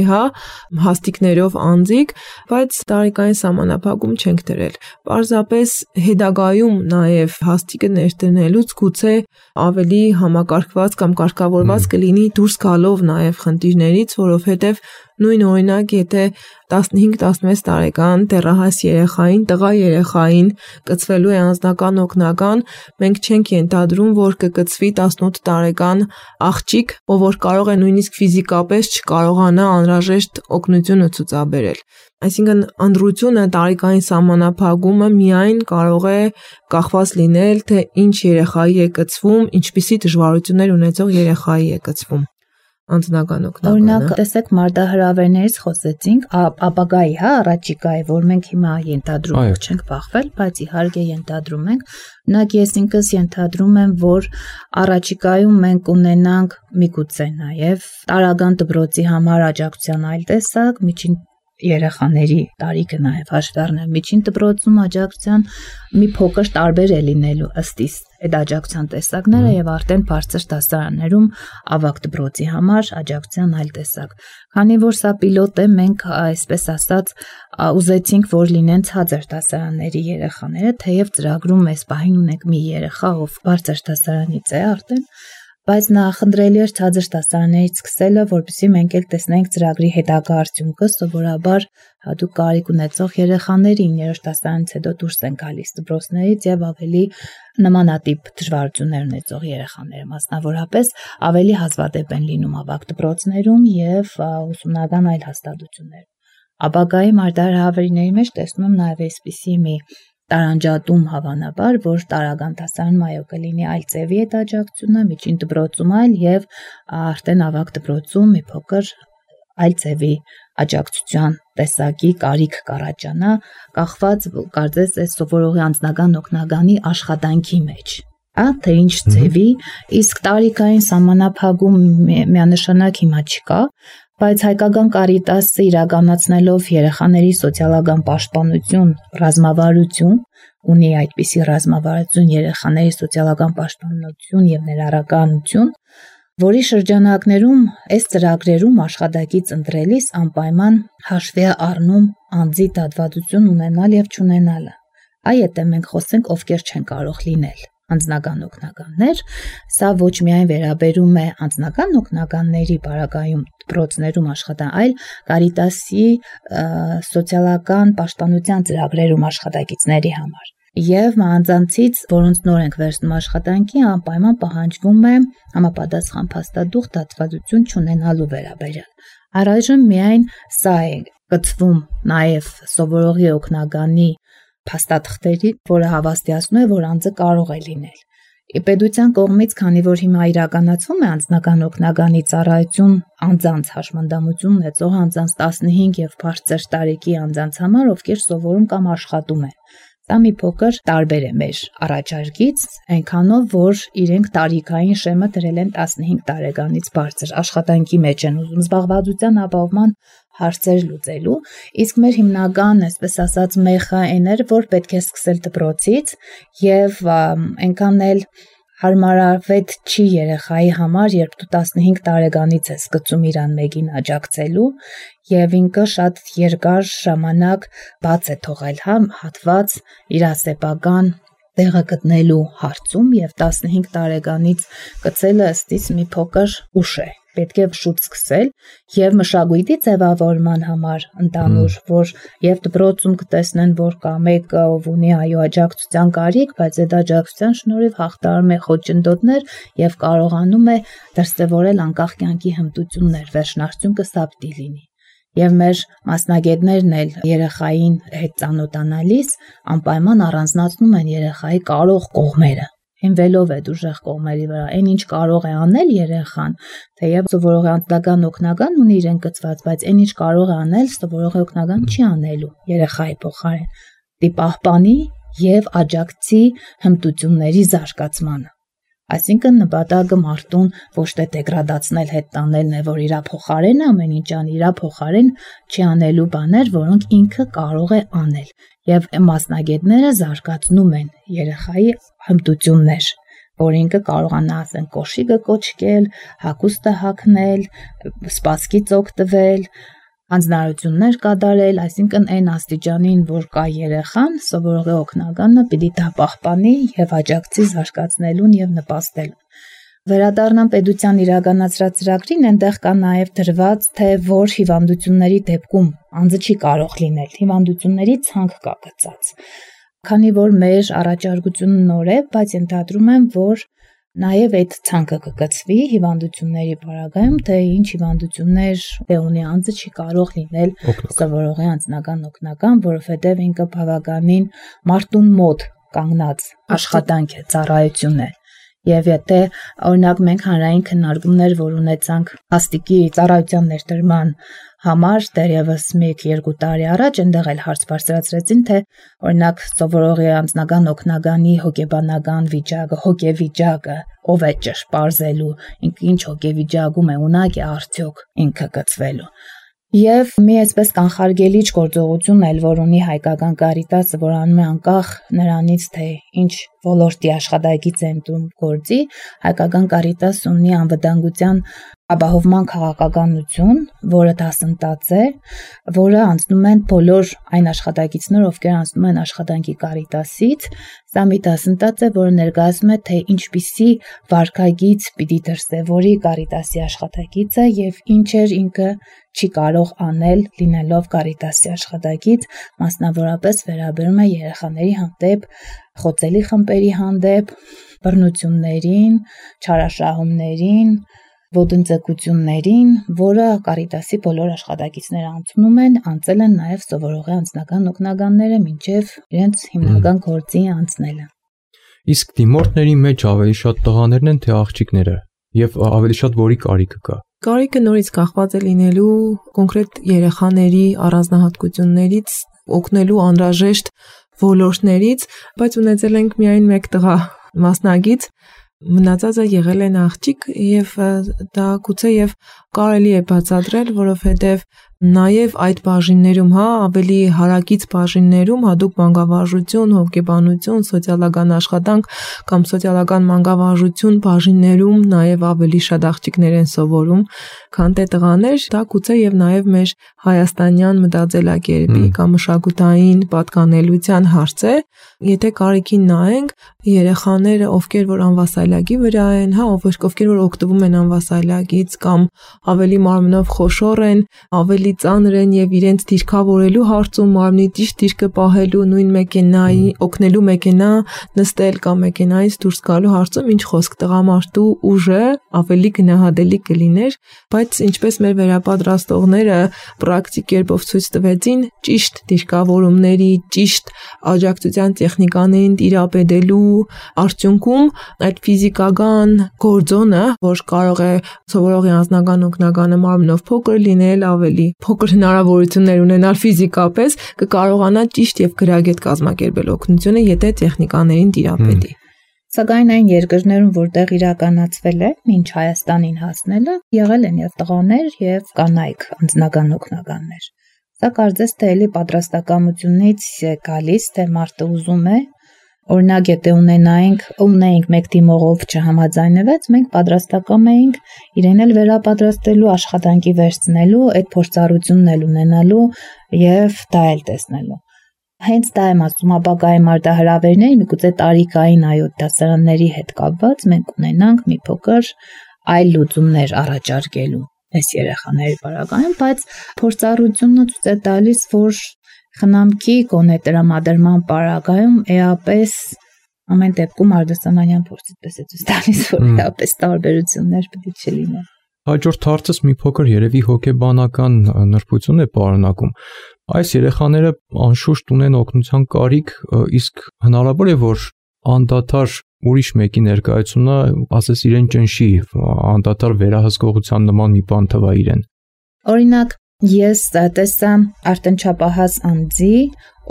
հաստիկներով անձիկ, բայց տարիքային սահմանափակում չենք դրել։ Պարզապես հետագայում նաև հաստիկը ներդնելուց գուցե ավելի համակարգված կամ կարգավորված կլինի դուրս գալով նաև խնդիրներից, որովհետև նույն օրինակ, եթե 15-16 տարեկան դեռահաս երեխային, տղա երեխային կցվելու է անձնական օգնական, մենք չենք ենթադրում, որ կկցվի 18 տարեկան աղջիկ, ով որ կարող է նույնիսկ ֆիզիկապես չկարողանա անհրաժեշտ օգնությունը ցուցաբերել։ Այսինքն ընտրությունը տարիքային սահմանափակումը միայն կարող է կախված լինել, թե ինչ երեխայի է կցվում, ինչպիսի դժվարություններ ունեցող երեխայի է կցվում։ Անձնական օգնականը։ Օրինակ, տեսեք, մարտահրավերներից խոսեցինք, ապագայի, առաջիկայի, որ մենք հիմա ենթադրում չենք բախվել, բայց իհարկե ենթադրում ենք։ Օրինակ, ես ինքս ենթադրում եմ, որ առաջիկայում մենք ունենանք միգուցե նաև տարրական դպրոցի համար աջակցության այլ տեսակ, միջին երեխաների տարիքը նաև հաշվի առնել, միջին դպրոցում աջակցության մի փոքր տարբեր է լինելու ըստ իս այդ աջակցության տեսակները եւ արդեն բարձր դասարաններում ավագ դպրոցի համար աջակցության այլ տեսակ։ Քանի որ սա պիլոտ է, մենք այսպես ասած ուզեցինք, որ լինեն ցածր դասարանների երեխաները, թեև ծրագրում այս պահին ունենք մի երեխա, ով բարձր դասարանից է արդեն, բայց նախընտրելի էր ցածր դասարաններից սկսելը, որպեսզի մենք էլ տեսնենք ծրագրի հետագա արդյունքը, սովորաբար հատուկ կարիք ունեցող երեխաների 9-րդ դասարանից հետո դուրս են գալիս դպրոցներից եւ ավելի նմանատիպ դժվարություններ ունեցող երեխաները, մասնավորապես ավելի հազվադեպ են լինում ավագ դպրոցներում եւ ուսումնական այլ հաստատություններում։ Ապագայի մարտահրավերների մեջ տեսնում եմ նաեւ այսպիսի մի տարանջատում հավանաբար, որ տարական դասարանում այո կլինի այլ ձևի այդ աջակցությունը, միջին դպրոցում այլ եւ արդեն ավագ դպրոցում մի փոքր այլ ձևի աջակցության տեսակի կարիք կառաջանա, կախված կարծես այս սովորողի անձնական օգնականի աշխատանքի մեջ, թե ինչ ձևի, իսկ տարիքային սահմանափակում միանշանակ հիմա չկա, բայց հայկական Կարիտասը իրականացնելով երեխաների սոցիալական պաշտպանություն, ռազմավարություն, ունի այդպիսի ռազմավարություն, երեխաների սոցիալական պաշտպանություն եւ ներառականություն, որի շրջանակներում այս ծրագրերում աշխատակից ընտրելիս անպայման հաշվի է առնում անձի դատվադություն ունենալ եւ չունենալը։ Այ եթե մենք խոսենք ովքեր չեն կարող լինել անձնական օգնականներ, սա ոչ միայն վերաբերում է անձնական օգնականների բարակայում դպրոցներում աշխատան, այլ Կարիտասի սոցիալական պաշտպանության ծրագրերում աշխատակիցների համար։ Եվ մանձանցից, որոնց նոր ենք վերցնում աշխատանքի, անպայման պահանջվում է համապատասխան փաստադուղ դատվադություն չունենալու վերաբերյալ։ Առայժմ միայն սա է կցվում նաև սովորողի օգնականի փաստաթղթերի, որը հավաստիացնում է, որ անձը կարող է լինել։ Պետության կողմից, քանի որ հիմա իրականացվում է անձնական օգնականի ծառայություն անձանց հաշմանդամություն ունեցող անձանց 15 եւ բարձր տարեկի անձանց համար, ովքեր սովորում կամ աշխատում են։ Դա մի փոքր տարբեր է մեր առաջարկից, այնքանով, որ իրենք տարիքային շեմը դրել են 15 տարեկանից բարձր աշխատանքի մեջ են ուզում զբաղվածության ապահովման հարցեր լուծելու, իսկ մեր հիմնական, այսպես ասած, մեխը այն էր, որ պետք է սկսել դպրոցից եւ այնքան էլ հարմարավետ չի երեխայի համար, երբ դու 15 տարեկանից ես գծում իրան մեկին աջակցելու եւ ինքը շատ երկար ժամանակ բաց է թողել, հատված իր ասեփական տեղը գտնելու հարցում եւ 15 տարեկանից գծելը ըստիս մի փոքր ուշ է։ Պետք է շուտ սկսել եւ մշակույթի ձևավորման համար ընդանուր, որ եւ դպրոցում կտեսնեն, որ կա մեկը, ով ունի այո աջակցության կարիք, բայց այդ աջակցության շնորհիվ հաղթարում է խոչընդոտներ եւ կարողանում է դրսեւորել անկախ կյանքի հմտություններ, վերջնարդյունքը սա պիտի լինի։ Եվ մեր մասնագետներն էլ երեխային հետ ծանոթանալիս անպայման առանձնացնում են երեխայի կարող կողմերը։ Հիմնվելով այդ ուժեղ կողմերի վրա, այն ինչ կարող է անել երեխան, թեև սովորողի անձնական օգնական ունի իրեն գծված, բայց այն ինչ կարող է անել, սովորողի օգնական չի անելու երեխայի փոխարեն, դի պահպանի եւ աջակցի հմտությունների զարգացմանը։ Այսինքն նպատակը մարդուն ոչ թե դեգրադացնել, հետ տանելն է, որ իրա փոխարեն ամեն ինչ անի, իրա փոխարեն չի անելու բաներ, որոնք ինքը կարող է անել։ Եվ մասնագետները զարգացնում են երեխայի հմտություններ, որ ինքը կարողանա ասեն կոշիկը կոչկել, հագուստը հագնել, սպասքից օգտվել, հանձնարարություններ կատարել, այսինքն այն աստիճանին, որ կա երեխան, սովորողի օգնականը պիտի դա պահպանի եւ աջակցի զարգացնելուն եւ նպաստելուն։ Վերադառնամ պետության իրականացրած ծրագրին, այնտեղ կա նաև դրված, թե որ հիվանդությունների դեպքում անձը չի կարող լինել, հիվանդությունների ցանկ կա գծած։ Քանի որ մեր առաջարկությունը նոր է, բայց ենթադրում եմ, որ նաև այդ ցանկը կգծվի հիվանդությունների բարակայում, թե ինչ հիվանդություններ ունի անձը չի կարող լինել սովորողի անձնական օգնական, որովհետև ինքը բավականին մարդուն մոտ կանգնած աշխատանք է, ծառայություն է։ Եվ եթե օրինակ մենք հանրային քննարկումներ, որ ունեցանք հաստիկի ծառայության ներդրման համար դեռևս 1-2 տարի առաջ, այնտեղ էլ հարց բարձրացրեցին, թե օրինակ սովորողի անձնական օգնականի հոգեբանական վիճակը, հոգեվիճակը ով է ճշտ պարզելու, ինքը ինչ հոգեվիճակում է, ունակ է արդյոք ինքը գծվելու։ Եվ մի այսպես կանխարգելիչ գործողություն էլ, որ ունի հայկական Կարիտասը, որ անում է անկախ նրանից, թե ինչ ոլորտի աշխատակից է ընտրում գործի, հայկական Կարիտասը ունի անվտանգության ապահովման քաղաքականություն, որը դասընթաց է, որը անցնում են բոլոր այն աշխատակիցները, ովքեր անցնում են աշխատանքի Կարիտասից, սա մի դասընթաց է, որը ներկայացնում է, թե ինչպիսի վարքագիծ պիտի դրսևորի Կարիտասի աշխատակիցը եւ ինչեր ինքը չի կարող անել լինելով Կարիտասի աշխատակից, մասնավորապես վերաբերում է երեխաների հանդեպ, խոցելի խմբերի հանդեպ, բռնություններին, չարաշահումներին, ոտնձգություններին, որը Կարիտասի բոլոր աշխատակիցները անցնում են, անցել են նաև սովորողի անձնական օգնականները մինչև իրենց հիմնական գործի անցնելը։ Իսկ դիմորդների մեջ ավելի շատ տղաներն են, թե աղջիկները, եւ ավելի շատ որի կարիքը կա։ Կարիքը նորից կախված է լինելու կոնկրետ երեխաների առանձնահատկություններից, օգնելու անհրաժեշտ ոլորտներից, բայց ունեցել ենք միայն մեկ տղա մասնագիծ, մնացածը եղել են աղջիկ եւ դա գուցե եւ կարելի է բացատրել, որովհետեւ նաև այդ բաժիններում, ավելի հարակից բաժիններում, հատուկ մանկավարժություն, հոգեբանություն, սոցիալական աշխատանք կամ սոցիալական մանկավարժություն բաժիններում նաև ավելի շատ աղջիկներ են սովորում, քան թե տղաներ, դա գուցե եւ նաև մեր հայաստանյան մտածելակերպի կամ մշակութային պատկանելության հարց է։ Եթե կարիքին նայենք, երեխաները, ովքեր որ անվասայլակի վրա են, ովքեր որ օգտվում են անվասայլակից կամ ավելի մարմնով խոշոր են, ավելի ծանր են եւ իրենց դիրքավորելու հարցում մարմնի ճիշտ դիրքը պահելու, նույն մեքենայի օգնելու մեքենա նստել կամ մեքենայից դուրս գալու հարցում ինչ խոսք, տղամարդու ուժը ավելի գնահատելի կլիներ, բայց ինչպես մեր վերապատրաստողները պրակտիկ կերպով ցույց տվեցին, ճիշտ դիրքավորումների, ճիշտ աջակցության տեխնիկաներին տիրապետելու արդյունքում այդ ֆիզիկական գործոնը, որ կարող է սովորողի անձնական օգնականը մարմնով փոքր լինել, ավելի փոքր հնարավորություններ ունենալ ֆիզիկապես, կկարողանա ճիշտ եւ գրագետ կազմակերպել օգնությունը, եթե տեխնիկաներին տիրապետի։ Սակայն այն երկրներում, որտեղ իրականացվել է, մինչ Հայաստանին հասնելը, եղել են եւ տղաներ եւ կանայք անձնական օգնականներ։ Սա կարծես թե էլի պատրաստակամությունից գալիս, թե մարդը ուզում է, օրինակ եթե ունեինք մեկ թիմով չհամաձայնվեց, մենք պատրաստակամ էինք իրեն էլ վերապատրաստելու, աշխատանքի վերցնելու, այդ փորձառությունն էլ ունենալու եւ դա էլ տեսնելու։ Հենց դա եմ ասում, ապագայի մարտահրավերների միգուցե տարիքային դասարանների հետ կապված մենք ունենանք մի փոքր այլ լուծումներ առաջարկելու այս երեխաների պարագայում, բայց փորձառությունը ցույց է տալիս, որ խնամքի գոնե տրամադրման պարագայում էապես ամեն դեպքում արդյունավետ փորձից է ցույց տալիս, որ էապես տարբերություններ պետք է չլինեն։ Հաջորդ հարցս մի փոքր երևի հոգեբանական նրբություն է պարունակում։ Այս երեխաները անշուշտ ունեն օգնության կարիք, իսկ հնարավոր է, որ անդադար ուրիշ մեկի ներկայությունը, ասես իրեն ճնշի, անդադար վերահսկողության նման մի բան թվա իրեն։ Օրինակ, ես տեսա արդեն չափահաս անձի,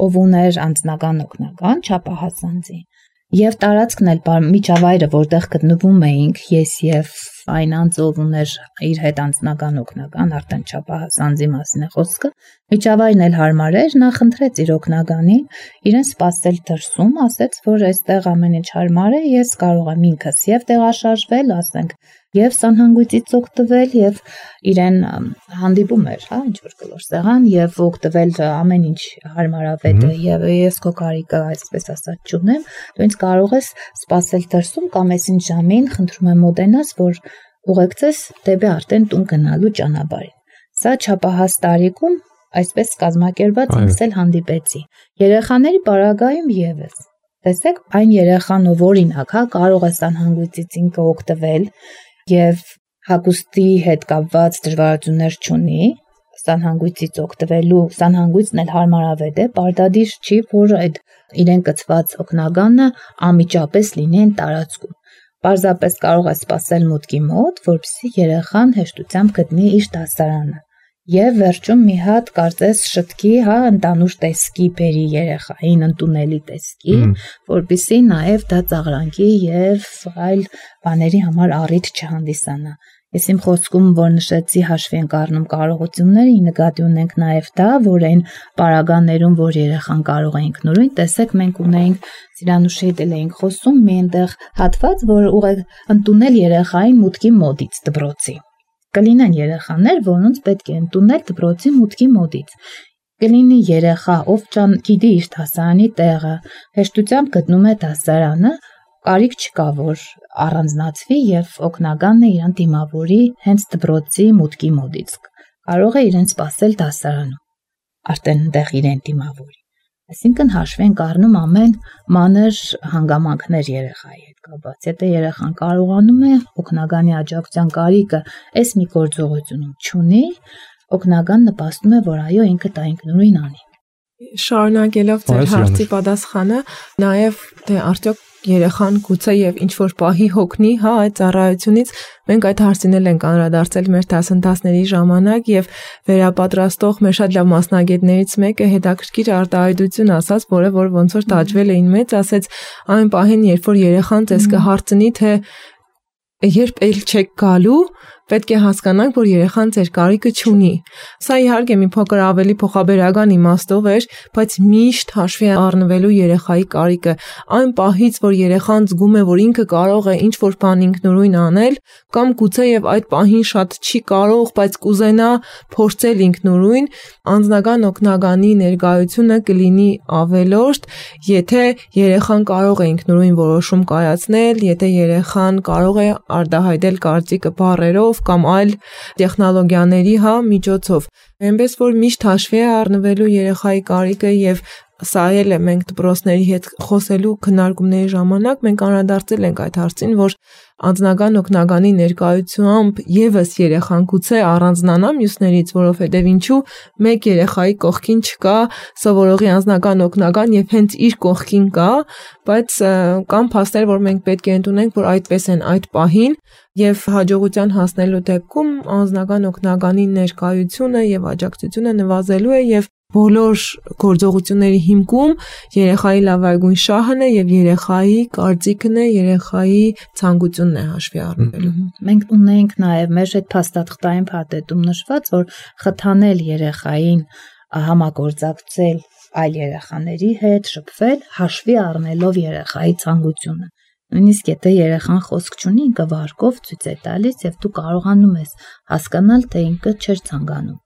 ով ուներ անձնական օգնական, չափահաս անձի, եւ տարածքն էլ միջավայրը, որտեղ գտնվում էինք, ես եւ այն անձը, ով ուներ իր հետ անձնական օգնական, արդեն չափահաս անձի մասին է խոսքը, միջավայրն էլ հարմար էր, նա խնդրեց իր օգնականին իրեն սպասել դրսում, ասեց, որ այստեղ ամեն ինչ հարմար է, ես կարող եմ ինքս եւ տեղաշարժվել, ասենք, եւ սանհանգույցից օգտվել եւ իրեն հանդիպում էր, ինչ որ կլոր սեղան եւ օգտվել ամեն ինչ հարմարավետ է եւ ես քո կարիքը այսպես ասած չունեմ, դու ինձ կարող ես սպասել դրսում կամ այսին ժամին, խնդրում եմ մոտենաս, որ ուղեկցես դեպի արդեն տուն գնալու ճանապարհին։ Սա չափահաս տարիքում այսպես կազմակերպված ինքս էլ հանդիպեցի։ Երեխաների պարագայում եւս տեսեք, այն երեխան, ով օրինակ, կարող է սանհանգույցից ինքը օգտվել եւ հագուստի հետ կապված դժվարություններ չունի, սանհանգույցից օգտվելու, սանհանգույցն էլ հարմարավետ է, պարտադիր չի, որ այդ իրեն կցված օգնականը անմիջապես լինի այն տարածքում։ Պարզապես կարող է սպասել մուտքի մոտ, որպեսզի երեխան հեշտությամբ գտնի իր դասարանը։ Եվ վերջում մի հատ կարծես շտկի, ընդանուր տեսքի բերի երեխային, ընդունելի տեսքի, որպեսզի նաև դա ծաղրանքի եւ այլ բաների համար առիթ չհանդիսանա։ Ես իմ խոսքում, որ նշեցի, հաշվի ենք առնում կարողությունները, նկատի ունենք նաև դա, որ այն պարագաներում, որ երեխան կարող է ինքնուրույն, տեսեք, մենք ունեինք Սիրանուշի հետ էինք խոսում, մի այնտեղ հատված, որ ուղղակի ընդունել երեխային մուտքի մոտից դպրոցի։ Կլինեն երեխաներ, որոնց պետք է ընդունել դպրոցի մուտքի մոտից։ Կլինի երեխա, ով գիտի իր դասարանի տեղը, հեշտությամբ գտնում է դասարանը, կարիք չկա, որ առանձնացվի եւ օգնականն իրան դիմավորի հենց դպրոցի մուտքի մոտից։ Կարող է իրեն սպասել դասարանում, արդեն այնտեղ իրեն դիմավորի։ Այսինքն հաշվի ենք առնում ամեն մանր հանգամանքներ երեխայի հետ կապված։ Եթե երեխան կարողանում է օգնականի աջակցության կարիքը այս մի գործողությունում չունի, օգնական նպաստում է, որ այո, ինքը դա ինքնուրույն անի։ Շարունակելով ձեր հարցի պատասխանը, նաև թե արդյոք երեխան գուցե եւ ինչ որ պահի հոգնի, այդ ծառայությունից մենք այդ հարցին ենք անդրադարձել մեր դասընթացների ժամանակ եւ վերապատրաստող մեր շատ լավ մասնագետներից մեկը հետաքրքիր արտահայտություն ասաց, որը որ ոնց որ տաճվել էին մեծ, ասեց այն պահին, երբ որ երեխան ձեզ կհարցնի, թե երբ էլ չեք գալու, պետք է հասկանանք, որ երեխան ձեր կարիքը չունի։ Սա իհարկե մի փոքր ավելի փոխաբերական իմաստով էր, բայց միշտ հաշվի առնվելու երեխայի կարիքը, այն պահից, որ երեխան զգում է, որ ինքը կարող է ինչ-որ բան ինքնուրույն անել, կամ գուցե եւ այդ պահին շատ չի կարող, բայց կուզենա փորձել ինքնուրույն, անձնական օգնականի ներկայությունը կլինի ավելորդ, եթե երեխան կարող է ինքնուրույն որոշում կայացնել, եթե երեխան կարող է արտահայտել կարծիքը բառերով կամ այլ տեխնոլոգիաների միջոցով։ Այնպես որ միշտ հաշվի է առնվելու երեխայի կարիքը եւ սա էլ է մենք դպրոցների հետ խոսելու քննարկումների ժամանակ մենք անդրադարձել ենք այդ հարցին, որ անձնական օգնականի ներկայությամբ եւս երեխան գուցե առանձնանա մյուսներից, որովհետեւ ինչու մեկ երեխայի կողքին չկա սովորողի անձնական օգնական եւ հենց իր կողքին կա, բայց կան փաստեր, որ մենք պետք է ընդունենք, որ այդպես են այդ պահին եւ հաջողության հասնելու դեպքում անձնական օգնականի ներկայությունը եւ աջակցությունը նվազելու է եւ բոլոր գործողությունների հիմքում երեխայի լավագույն շահն է եւ երեխայի կարծիքն է, երեխայի ցանկությունն է հաշվի առնվելու։ Մենք ունենք նաեւ մեր այդ փաստաթղթային փաթեթում նշված, որ խթանել երեխային համագործակցել այլ երեխաների հետ, շփվել, հաշվի առնելով երեխայի ցանկությունը։ Նույնիսկ եթե երեխան խոսք չունի, ինքը վարկով ցույց է տալիս եւ դու կարողանում ես հասկանալ, թե ինքը չէր ցանկանում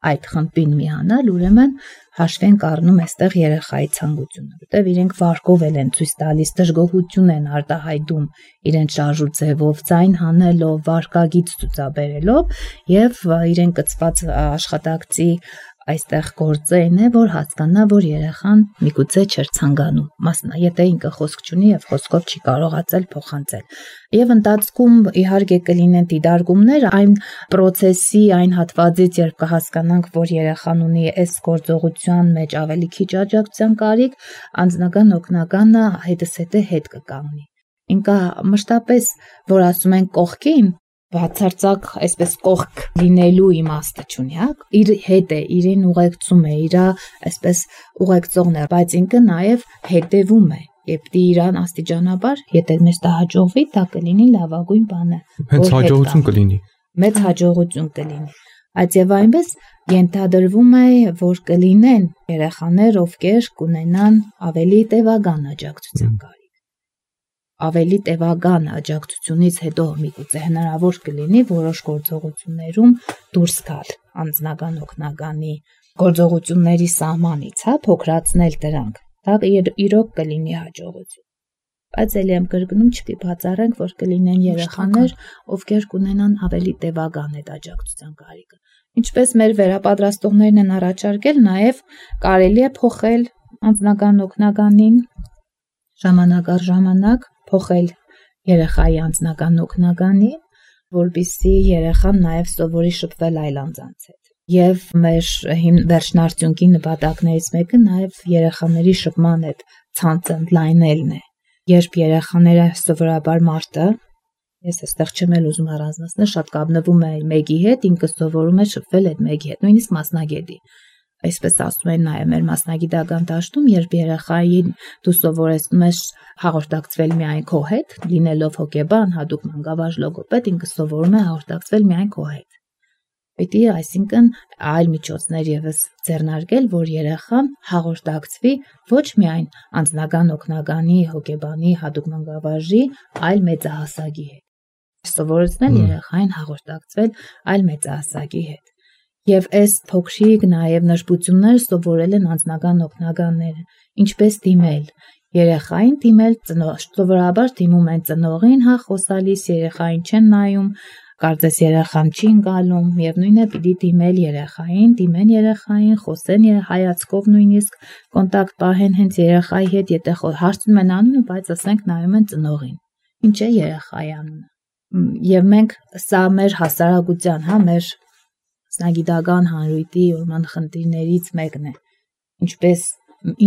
այդ խմբին միանալ, ուրեմն հաշվի ենք առնում այստեղ երեխայի ցանկությունը, որտեղ իրենք վարկով են ցույց տալիս, դժգոհություն են արտահայտում իրենց շարժուձևով, ձայն հանելով, վարկագիծ ցուցաբերելով եւ իրեն կցված աշխատակցի այստեղ գործերն է, որ հասկանա, որ երեխան միգուցե չէր ցանկանում, եթե ինքը խոսք չունի եւ խոսքով չի կարողացել փոխանցել։ Եվ ընթացքում իհարկե կլինեն դիտարկումներ այն process-ի, այն հատվածից, երբ կհասկանանք, որ երեխան ունի այս գործողության մեջ ավելի քիչ աջակցության կարիք, անձնական օգնականը հետզհետե հետ կկանգնի։ Ինքը մշտապես, որ ասում են կողքին, բացարձակ այսպես կողք լինելու իմաստը չունի, իր հետ է, իրեն ուղեկցում է, իր այսպես ուղեկցողն է, բայց ինքը նաև հետևում է, երբ իրան աստիճանաբար, եթե մեզ դա հաջողվի, դա կլինի լավագույն բանը, հենց հաջողություն կլինի, մեծ հաջողություն կլինի, այդ եւ այնպես ենթադրվում է, որ կլինեն երեխաներ, ովքեր կունենան ավելի տևական աջակցության կարիք։ Ավելի տևական աջակցությունից հետո միգուցե հնարավոր կլինի որոշ գործողություններում դուրս գալ անձնական օգնականի գործողությունների սահմանից, փոքրացնել դրանք։ Դա իրոք կլինի հաջողություն։ Բայց ելի եմ կրկնում, չպիտի բացառենք, որ կլինեն երեխաներ, ովքեր կունենան ավելի տևական այդ աջակցության կարիքը։ Ինչպես մեր վերապատրաստողներն են առաջարկել, նաև կարելի է փոխել անձնական օգնականին ժամանակ առ ժամանակ փոխել երեխայի անձնական օգնականի, որպեսզի երեխան նաև սովորի շփվել այլ անձանց հետ։ Եվ մեր վերջնարդյունքի նպատակներից մեկը նաև երեխաների շփման հետ ցանցը ընդլայնելն է։ Երբ երեխաները սովորաբար մարդը, ես այստեղ չեմ ուզում առանձնացնել, շատ կապնվում է մեկի հետ, ինքը սովորում է շփվել այդ մեկի հետ, նույնիսկ մասնագետի։ Այսպես ասում են նաև մեր մասնագիտական դաշտում, երբ երեխային դու սովորեցնում ես հաղորդակցվել միայն քո հետ, լինելով հոգեբան, հատուկ մանկավարժ լոգոպեդ, ինքը սովորում է հաղորդակցվել միայն քո հետ։ Պետք է, այսինքն, այլ միջոցներ եւս ձեռնարկել, որ երեխան հաղորդակցվի ոչ միայն անձնական օգնականի, հոգեբանի, հատուկ մանկավարժի, այլ մեծահասակի հետ։ Սովորեցնել երեխային հաղորդակցվել այլ մեծահասակի հետ։ Եվ այս փոքրիկ նաև նշբությունները սովորել են անձնական օգնականները, ինչպես դիմել երեխային, դիմել ծնող, սովորաբար դիմում են ծնողին, խոսալիս երեխային չեն նայում, կարծես երեխան չի ընկալում, միևնույն է պիտի դիմեն երեխային, խոսեն հայացքով նույնիսկ կոնտակտ պահեն հենց երեխայի հետ, եթե հարցնում են անունը, բայց ասենք նայում են ծնողին։ Ինչ է երեխայի անունը։ Եվ մենք սա մեր հասարակության, մեր մասնագիտական հանրույթի ուրման խնդիրներից մեկն է։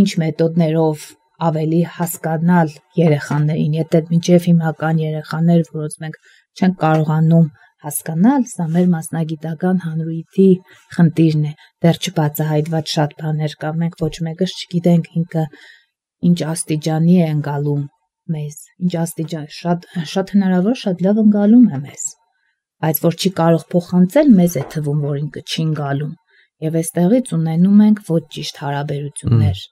Ինչ մեթոդներով ավելի հասկանալ երեխաներին, եթե մինչև հիմնական երեխաներ, որոնց մենք չենք կարողանում հասկանալ, սա մեր մասնագիտական հանրույթի խնդիրն է։ Դեռ չբացահայտված շատ բաներ կա, մենք ոչ մեկս չգիտենք ինքը ինչ աստիճանի է ընկալում մեզ, ինչ աստիճան, շատ հնարավոր շատ լավ ընկալում է մեզ, բայց որ չի կարող փոխանցել, մեզ է թվում, որ ինքը չի ընկալում, եւ այստեղից ունենում ենք ոչ ճիշտ հարաբերություններ,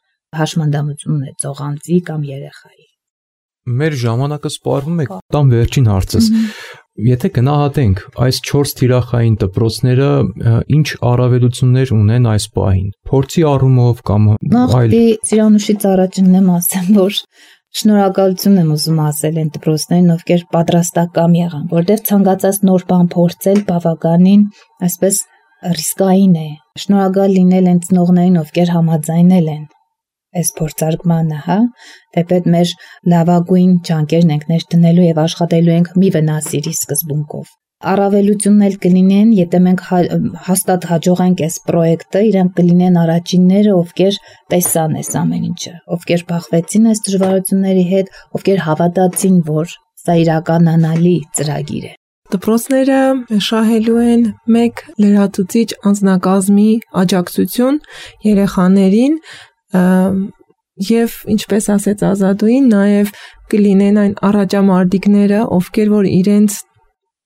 հաշմանդամություն ունեցող անձի կամ երեխայի։ Մեր ժամանակը սպառվում է, տամ վերջին հարցս։ Եթե գնահատենք այս 4 թիրախային դպրոցները, ինչ առավելություններ ունեն այս պահին, փորձի առումով կամ այլ։ Նախ Ծիրանուշից առաջինն ասեմ, որ շնորհակալություն եմ ուզում ասել այն դպրոցներին, ովքեր պատրաստակամ եղան, որտեղ ցանկացած նոր բան փորձել բավականին, այսպես ռիսկային է։ Շնորհակալ լինել են ծնողներին, ովքեր համաձայնել են այս փորձարկմանը, թեպետ մեր լավագույն ջանքերն ենք ներդնելու եւ աշխատելու ենք մի վնասիրի սկզբունքով։ Առավելությունն էլ կլինեն, եթե մենք հաստատ հաջողենք այս պրոյեկտը, իրանք կլինեն առաջինները, ովքեր տեսան այս ամեն ինչը, ովքեր բախվեցին այս դժվարությունների հետ, ովքեր հավատացին, որ սա իրականանալի ծրագիր է։ Դպրոցները շահելու են մեկ լրացուցիչ անձնակազմի աջակցություն երեխաներին եւ ինչպես ասեց Ազատուին, նաեւ կլինեն այն առաջամարտիկները, ովքեր որ իրենց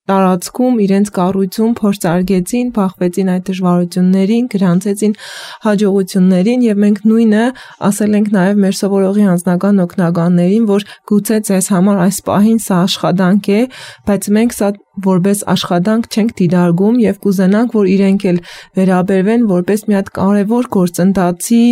տարածքում, իրենց կառույցում փորձարկեցին, բախվեցին այդ դժվարություններին, գրանցեցին հաջողություններին եւ մենք նույնը ասել ենք նաեւ մեր սովորողի անձնական օգնականներին, որ գուցե ձեզ համար այս պահին սա աշխատանք է, բայց մենք սա որպես աշխատանք չենք դիտարկում եւ կուզենանք, որ իրենք էլ վերաբերվեն որպես մի հատ կարևոր գործընթացի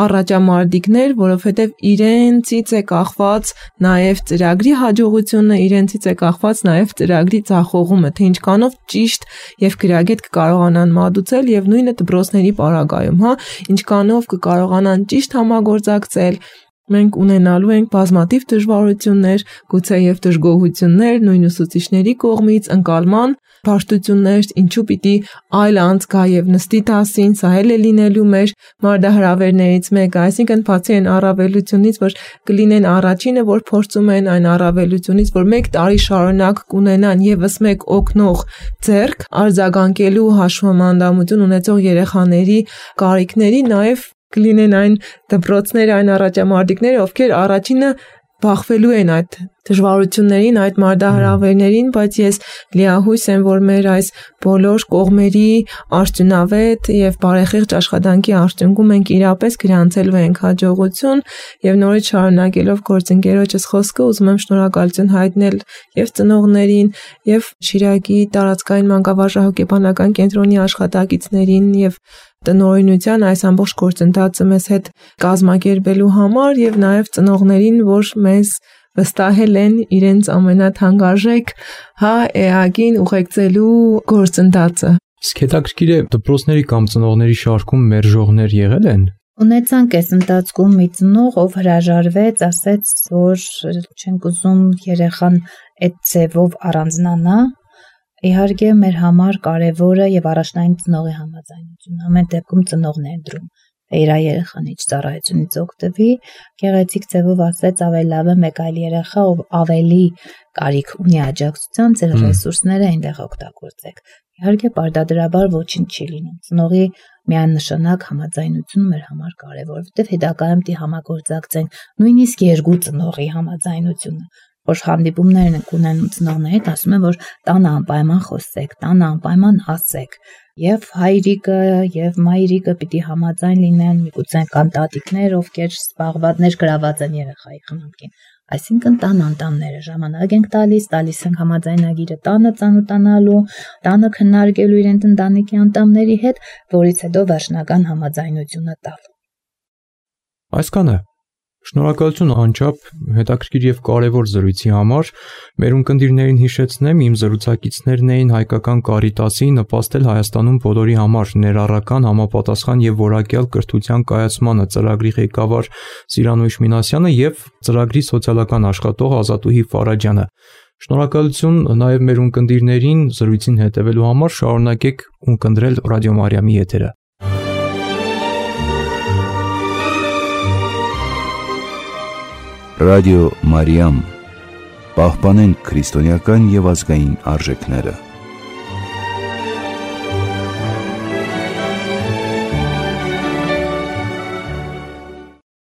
առաջամարտիկներ, որովհետեւ իրենցից է կախված նաեւ ծրագրի հաջողությունը, իրենցից է կախված նաեւ ծրագրի ձախողումը, թե ինչքանով ճիշտ եւ գրագետ կկարողանան մատուցել եւ նույնը դպրոցների պարագայում, ինչքանով կկարողանան ճիշտ համագործակցել։ Մենք ունենալու ենք բազմաթիվ դժվարություններ, գուցե եւ դժգոհություններ, նույն ուսուցիչների կողմից, ընկալման բարդություններ, ինչու պիտի այլ անց գա եւ նստի դասին, սա էլ է լինելու մեր մարտահրավերներից մեկը, այսինքն բացի այն առավելությունից, որ կլինեն առաջինը, որ փորձում են այն առավելությունից, որ 1 տարի շարունակ կունենան եւս մեկ օգնող ձեռք արձագանքելու հաշվամանդամություն ունեցող երեխաների կարիքների, նաեւ կլինեն այն դպրոցները, այն առաջամարտիկները, ովքեր առաջինը բախվելու են այդ դժվարություններին, այդ մարտահրավերներին, բայց ես լիահույս եմ, որ մեր այս բոլոր կողմերի արդյունավետ եւ բարեխիղճ աշխատանքի արդյունքում մենք իրապես գրանցելու ենք հաջողություն եւ նորից շարունակելով գործընկերոջս խոսքը ուզում եմ շնորհակալություն հայտնել եւ ծնողներին եւ Շիրակի տարածքային մանկավարժահոգեբանական կենտրոնի աշխատակիցներին եւ տնօրինության այս ամբողջ գործընթացը մեզ հետ կազմակերպելու համար եւ նաեւ ծնողներին, որ մեզ վստահել են իրենց ամենաթանկարժեք էակին ուղեկցելու գործընթացը։ Իսկ հետաքրքիր է դպրոցների կամ ծնողների շարքում մերժողներ եղել են։ Ունեցանք այս ընթացքում մի ծնող, ով հրաժարվեց, ասեց, որ չենք ուզում երեխան այդ ձևով առանձնանա։ Իհարկե մեր համար կարևորը եւ առաջնային ծնողի համաձայնությունն ամեն դեպքում ծնողն է ընտրում, թե իր երեխան ինչ ծառայությունից օգտվի, գեղեցիկ ձևով ասեց ավելի լավ է մեկ այլ երեխա, ով ավելի կարիք ունի աջակցության, ձեր ռեսուրսները այնտեղ օգտագործեք։ Իհարկե պարտադրաբար ոչինչ չի լինում։ Ծնողի միանշանակ համաձայնությունը մեր համար կարևոր, որովհետեւ հետագայում դի համագործակցենք նույնիսկ երկու ծնողի համաձայնությունը, որ հանդիպումներն ենք ունենում ծնողների հետ, ասում են, որ տանը անպայման խոսեք, տանը անպայման ասեք, եւ հայրիկը եւ մայրիկը պիտի համաձայն լինեն, միգուցե կան տատիկներ, ովքեր զբաղվածներ գրաված են երեխայի խնամքին, այսինքն տան անդամները ժամանակ ենք տալիս ենք համաձայնագիրը տանը ծանոթանալու, տանը քննարկելու իրենց ընտանիքի անդամների հետ, որից հետո վերջնական համաձայնությունը տալ։ Այսքանը Շնորհակալություն անչափ հետաքրքիր եւ կարեւոր զրույցի համար։ Մեր ունկնդիրներին հիշեցնեմ, իմ զրուցակիցներն էին Հայկական Կարիտասի նպաստել Հայաստանում բոլորի համար ներառական, համապատասխան եւ որակյալ կրթության կայացմանը ծրագրի ղեկավար Սիրանույշ Մինասյանը եւ ծրագրի սոցիալական աշխատող Ազատուհի Ֆարաջյանը։ Շնորհակալություն նաեւ մեր ունկնդիրներին զրույցին հետևելու համար, շարունակեք ունկնդրել Ռադիո Մարիամի եթերը։ Ռադիո Մարիամ, պահպանենք քրիստոնեական եւ ազգային արժեքները։